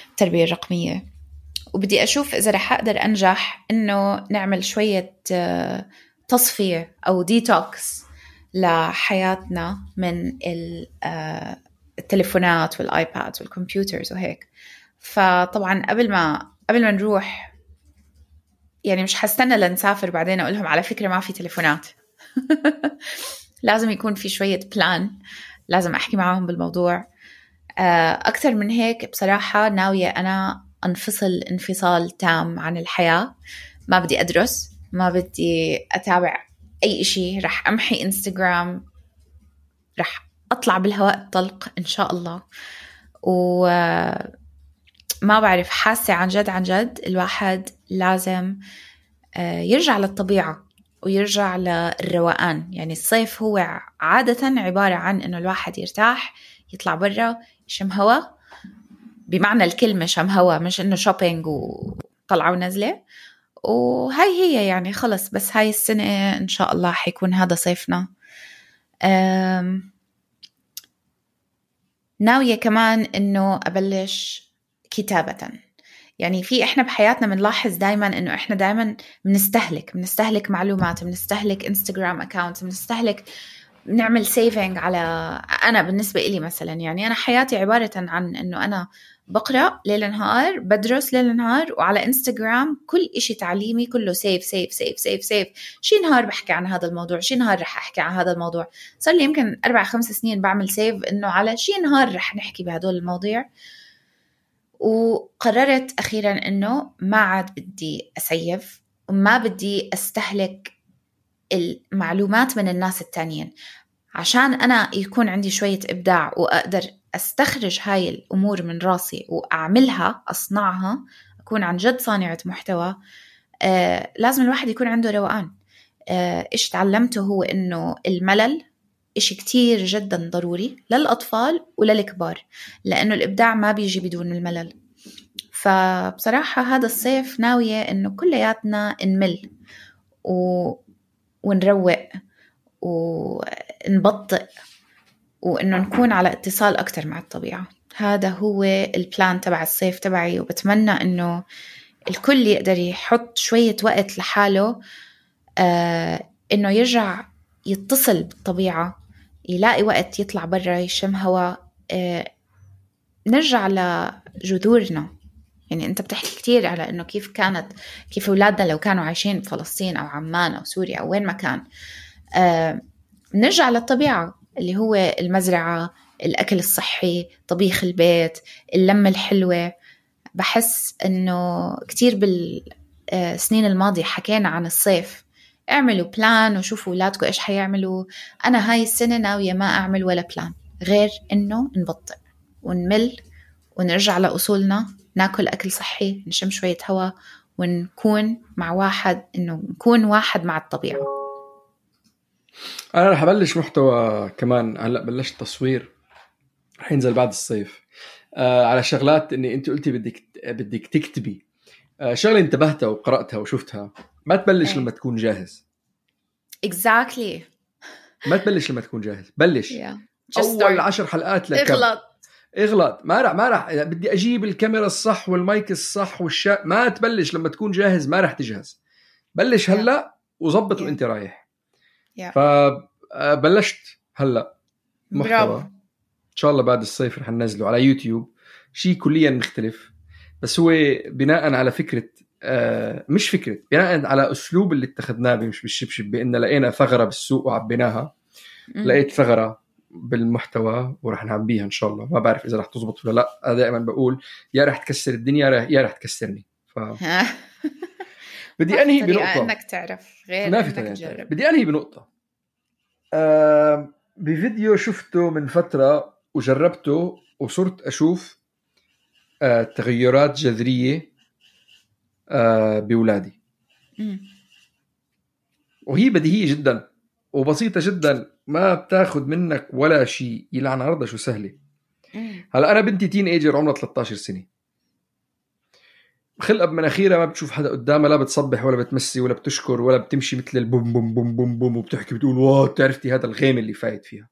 التربية الرقمية، وبدي أشوف إذا رح أقدر أنجح إنه نعمل شوية تصفية أو ديتوكس لحياتنا من التليفونات والآيباد والكمبيوترز وهيك. فطبعا قبل ما قبل ما نروح يعني مش حستنى لنسافر بعدين أقولهم على فكرة ما في تليفونات. لازم يكون في شوية بلان، لازم أحكي معهم بالموضوع. أكثر من هيك بصراحة ناوية أنا أنفصل انفصال تام عن الحياة. ما بدي أدرس، ما بدي أتابع أي إشي، رح أمحي إنستغرام، رح أطلع بالهواء الطلق إن شاء الله. وما بعرف، حاسة عن جد عن جد الواحد لازم يرجع للطبيعة ويرجع للروقان. يعني الصيف هو عادة عبارة عن إنه الواحد يرتاح، يطلع برا، يشم هوا بمعنى الكلمة، شم هوا، مش إنه شوبينج وطلعوا ونزلة. وهاي هي يعني خلص، بس هاي السنة إن شاء الله حيكون هذا صيفنا. ناوية كمان إنه أبلش كتابة. يعني في إحنا بحياتنا بنلاحظ دايما إنه إحنا دايما بنستهلك بنستهلك معلومات، بنستهلك إنستغرام أكاونت، بنستهلك نعمل سيفينج على. أنا بالنسبة إلي مثلا يعني أنا حياتي عبارة عن إنه أنا بقرأ ليل نهار، بدرس ليل نهار، وعلى إنستغرام كل إشي تعليمي كله سيف سيف سيف سيف سيف. شي نهار بحكي عن هذا الموضوع، شي نهار رح أحكي عن هذا الموضوع. صار لي يمكن أربع خمس سنين بعمل سيف إنه على شي نهار رح نحكي بهدول المواضيع. وقررت أخيرا إنه ما عاد بدي أسيف وما بدي أستهلك المعلومات من الناس التانيين، عشان أنا يكون عندي شوية إبداع وأقدر أستخرج هاي الأمور من راسي وأعملها، أصنعها، أكون عن جد صانعة محتوى. آه لازم الواحد يكون عنده روقان. آه إيش تعلمته هو إنه الملل إشي كتير جدا ضروري للأطفال وللكبار، لأنه الإبداع ما بيجي بدون الملل. فبصراحة هذا الصيف ناوية إنه كلياتنا نمل و... ونروق ونبطئ، وإنه نكون على اتصال أكتر مع الطبيعة. هذا هو البلان تبع الصيف تبعي، وبتمنى إنه الكل يقدر يحط شوية وقت لحاله، آه إنه يرجع يتصل بالطبيعة، يلاقي وقت يطلع برا يشم هوا، آه نرجع لجذورنا. يعني أنت بتحكي كتير على إنه كيف كانت كيف أولادنا لو كانوا عايشين بفلسطين أو عمان أو سوريا أو وين ما كان. آه نرجع للطبيعة اللي هو المزرعة، الأكل الصحي، طبيخ البيت، اللمة الحلوة. بحس إنه كتير بالسنين الماضية حكينا عن الصيف، اعملوا بلان وشوفوا أولادكم إيش حيعملوا. أنا هاي السنة ناوية ما أعمل ولا بلان، غير إنه نبطئ ونمل ونرجع لأصولنا، ناكل أكل صحي، نشم شوية هواء، ونكون مع واحد، إنه نكون واحد مع الطبيعة. أنا رح أبلش محتوى كمان، هلأ بلشت تصوير، رح ينزل بعد الصيف آه على شغلات إني أنت قلتي بدك بدك تكتبي آه شغلة انتبهتها وقرأتها وشفتها. ما تبلش أي. لما تكون جاهز. exactly. ما تبلش لما تكون جاهز، بلش yeah. أول عشر حلقات لك اغلط اغلط ما رح ما رح بدي أجيب الكاميرا الصح والمايك الصح والشا. ما تبلش لما تكون جاهز، ما رح تجهز. بلش هلأ yeah. وظبط yeah. وانت رايح. yeah. فبلشت هلأ محتوى برافو. إن شاء الله بعد الصيف رح ننزله على يوتيوب، شيء كليا مختلف، بس هو بناء على فكرة آه مش فكرة، بناء على أسلوب اللي اتخذناه مش بالشبشب، بأن لقينا ثغرة بالسوق وعبيناها. م- لقيت ثغرة بالمحتوى ورح نعبيها إن شاء الله. ما بعرف إذا رح تزبط ولا لا. أنا دائما بقول يا رح تكسر الدنيا يا رح تكسرني. ف... بدي أنهي بنقطة إنك تعرف غير ما في إنك بدي أنهي بنقطة آه بفيديو شفته من فترة وجربته وصرت أشوف آه تغيرات جذرية آه بولادي. م. وهي بديهية جدا وبسيطة جدا، ما بتاخد منك ولا شيء، يلعن عرضها شو سهلة. هلأ أنا بنتي تين ايجر عمرها ثلاثة عشر سنة، خلقها بمناخيرها ما بتشوف حدا قدامها، لا بتصبح ولا بتمسي ولا بتشكر ولا بتمشي مثل البوم بوم بوم بوم بوم وبتحكي بتقول واو تعرفتي هذا الغيم اللي فايت فيها.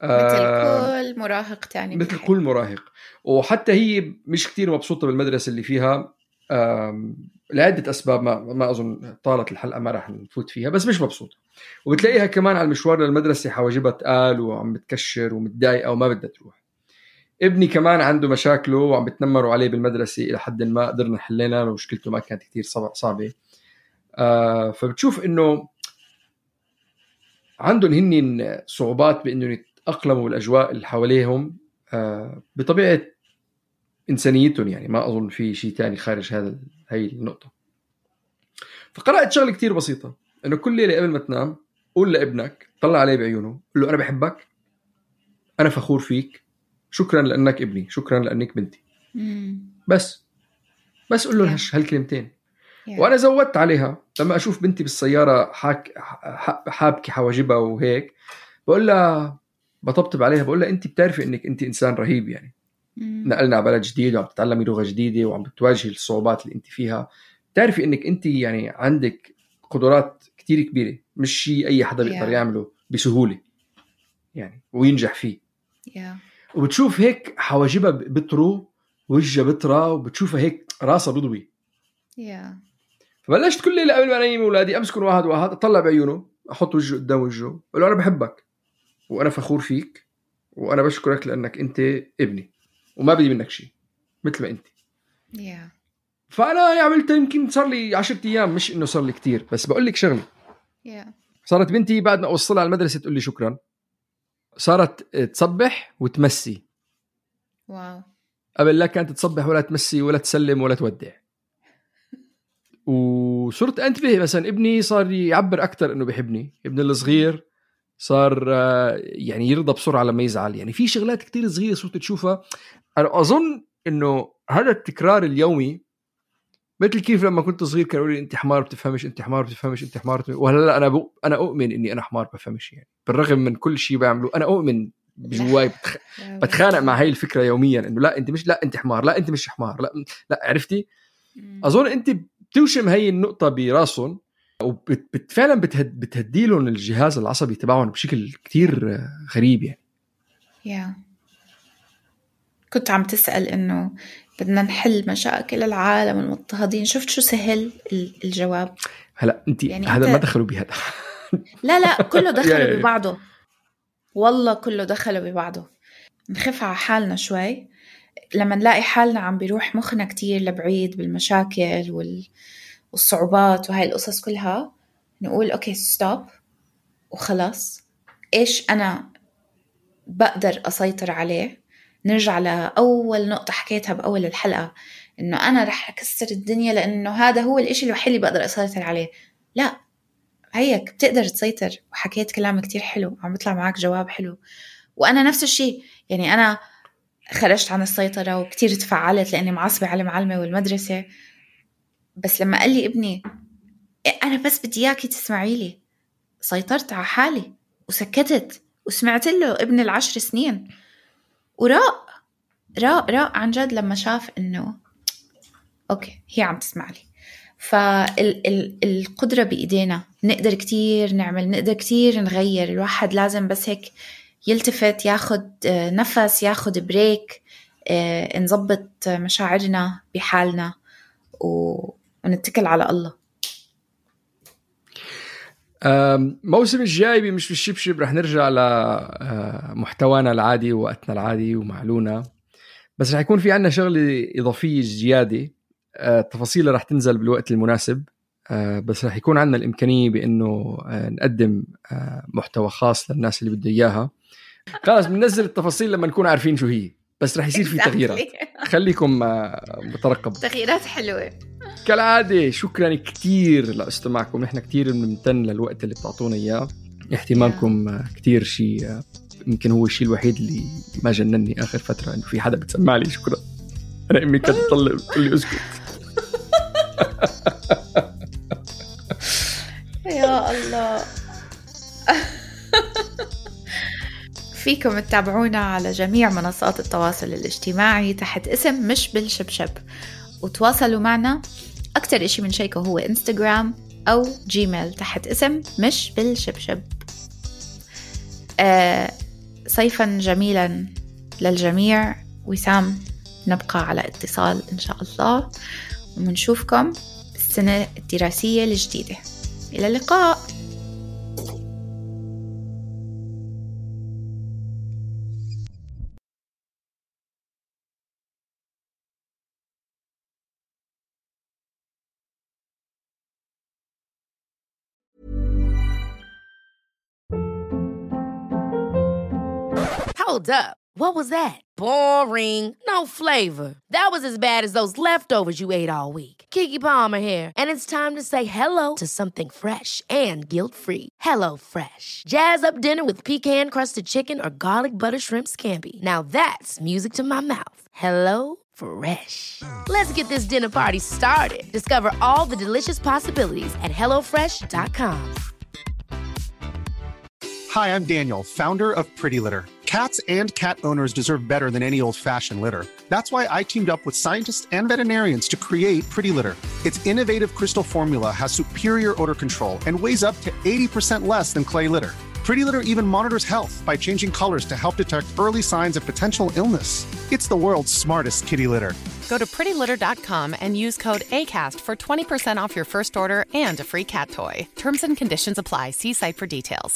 مثل آه كل مراهق تاني، مثل كل مراهق. وحتى هي مش كتير مبسوطة بالمدرسة اللي فيها لعدة أسباب، ما ما أظن طالت الحلقة ما راح نفوت فيها، بس مش مبسوطة. وبتلاقيها كمان على المشوار للمدرسة حواجبها تقال وعم بتكشر ومتضايقة وما بدها تروح. ابني كمان عنده مشاكله وعم بتنمروا عليه بالمدرسة إلى حد ما قدرنا حلينا، مشكلته ما كانت كتير صعبة. آه فبتشوف إنه عندهم هنين صعوبات بإنه يتأقلموا بالأجواء اللي حواليهم آه بطبيعة إنسانيتهم. يعني ما أظن في شيء تاني خارج هذا هاي النقطة. فقرأت شغلة كتير بسيطة، إنه كل ليلة قبل ما تنام قول لابنك، طلع عليه بعيونه، قل له أنا بحبك، أنا فخور فيك، شكرا لأنك ابني، شكرا لأنك بنتي. مم. بس بس قل له yeah. هالكلمتين. yeah. وأنا زودت عليها لما أشوف بنتي بالسيارة حاك حابكي حواجبها وهيك، بقول لها بطبطب عليها، بقول لها أنت بتعرفي إنك أنت إنسان رهيب. يعني مم. نقلنا على بلد جديد وعم تتعلمي لغة جديدة وعم بتواجهي الصعوبات اللي أنت فيها، تعرفي إنك أنت يعني عندك قدرات كتير كبيرة، مش شيء أي حدا بيقدر yeah. يعمله بسهولة يعني وينجح فيه. yeah. وبتشوف هيك حواجبها بطرو، وجهها بطرة، وبتشوفها هيك راسها بيضوي. yeah. فبلشت كل ليلة قبل ما انيم اولادي امسكهم واحد واحد، اطلع بعيونه، احط وجهه قدام وجهه، اقول له انا بحبك وانا فخور فيك وانا بشكرك لانك انت ابني وما بدي منك شيء مثل ما انت. yeah. فانا عملت يمكن صار لي عشرة ايام، مش انه صار لي كتير، بس بقول لك شغله. yeah. صارت بنتي بعد ما اوصلها على المدرسه تقول لي شكرا، صارت تصبح وتمسي. واو. قبل لا كانت تصبح ولا تمسي ولا تسلم ولا تودع. وصرت انتبه مثلا ابني صار يعبر اكثر انه بيحبني، ابني الصغير صار يعني يرضى بسرعه لما يزعل. يعني في شغلات كتير صغيره صرت تشوفها. انا اظن انه هذا التكرار اليومي مثل كيف لما كنت صغير كانوا يقولوا لي انت حمار بتفهمش، انت حمار بتفهمش، انت حمار بتفهمش. وهلا انا بق... انا اؤمن اني انا حمار بفهمش. يعني بالرغم من كل شيء بعمله انا اؤمن بجواي بتخ... بتخانق مع هاي الفكره يوميا انه لا انت مش، لا انت حمار، لا انت مش حمار، لا لا عرفتي. اظن انت بتوشم هاي النقطه براسهم وبتفعلا بتهد... بتهدي لهم الجهاز العصبي تبعهم بشكل كتير غريب. يعني yeah. كنت عم تسأل انه بدنا نحل مشاكل العالم المضطهدين، شفت شو سهل الجواب. هلا انت يعني هذا انت... ما دخلوا بهذا. لا لا كله دخلوا ببعضه، والله كله دخلوا ببعضه. نخف على حالنا شوي لما نلاقي حالنا عم بيروح مخنا كتير لبعيد بالمشاكل وال... والصعوبات وهاي القصص كلها، نقول أوكي ستوب وخلاص، إيش أنا بقدر أسيطر عليه. نرجع لأول نقطة حكيتها بأول الحلقة، إنه أنا رح أكسر الدنيا لأنه هذا هو الإشي الوحيد اللي بقدر أسيطر عليه. لا، هيك بتقدر تسيطر. وحكيت كلام كتير حلو، عم بيطلع معك جواب حلو، وأنا نفس الشيء، يعني أنا خرجت عن السيطرة وكتير تفعلت لأني معصبة على المعلمة والمدرسة، بس لما قال لي ابني أنا بس بدي إياكي تسمعي لي، سيطرت على حالي وسكتت وسمعت له ابن العشر سنين، وراء راء راء عن جد لما شاف إنه أوكي هي عم تسمع لي. فالقدرة بإيدينا، نقدر كتير نعمل، نقدر كتير نغير. الواحد لازم بس هيك يلتفت، ياخد نفس، ياخد بريك، نضبط مشاعرنا بحالنا ونتكل على الله. موسم الجاي بمش بالشبشب رح نرجع لمحتوانا العادي ووقتنا العادي ومعلونا، بس رح يكون في عنا شغلة إضافية زيادة، التفاصيل رح تنزل بالوقت المناسب، بس رح يكون عنا الإمكانية بأنه نقدم محتوى خاص للناس اللي بده إياها. خلاص بننزل التفاصيل لما نكون عارفين شو هي، بس رح يصير في تغييرات، خليكم مترقب. تغييرات حلوة كالعادة. شكرا كتير لاستماعكم، نحن كتير بنمتن للوقت اللي بتعطونا إياه، اهتمامكم كتير شيء يمكن هو الشيء الوحيد اللي ما جنني آخر فترة، إنه في حدا بتسمع لي. شكرا. أنا أمي كانت تطلع تقول لي أسكت. يا الله. فيكم تتابعونا على جميع منصات التواصل الاجتماعي تحت اسم مش بالشبشب، وتواصلوا معنا أكتر إشي من شيكه هو إنستغرام أو جيميل تحت اسم مش بالشبشب. آه صيفا جميلا للجميع. وسام، نبقى على اتصال إن شاء الله، ومنشوفكم السنة الدراسية الجديدة. إلى اللقاء. Hold up. What was that? Boring. No flavor. That was as bad as those leftovers you ate all week. Keke Palmer here, and it's time to say hello to something fresh and guilt-free. Hello Fresh. Jazz up dinner with pecan-crusted chicken or garlic butter shrimp scampi. Now that's music to my mouth. Hello Fresh. Let's get this dinner party started. Discover all the delicious possibilities at hello fresh dot com. Hi, I'm Daniel, founder of Pretty Litter. Cats and cat owners deserve better than any old-fashioned litter. That's why I teamed up with scientists and veterinarians to create Pretty Litter. Its innovative crystal formula has superior odor control and weighs up to eighty percent less than clay litter. Pretty Litter even monitors health by changing colors to help detect early signs of potential illness. It's the world's smartest kitty litter. Go to pretty litter dot com and use code ACAST for twenty percent off your first order and a free cat toy. Terms and conditions apply. See site for details.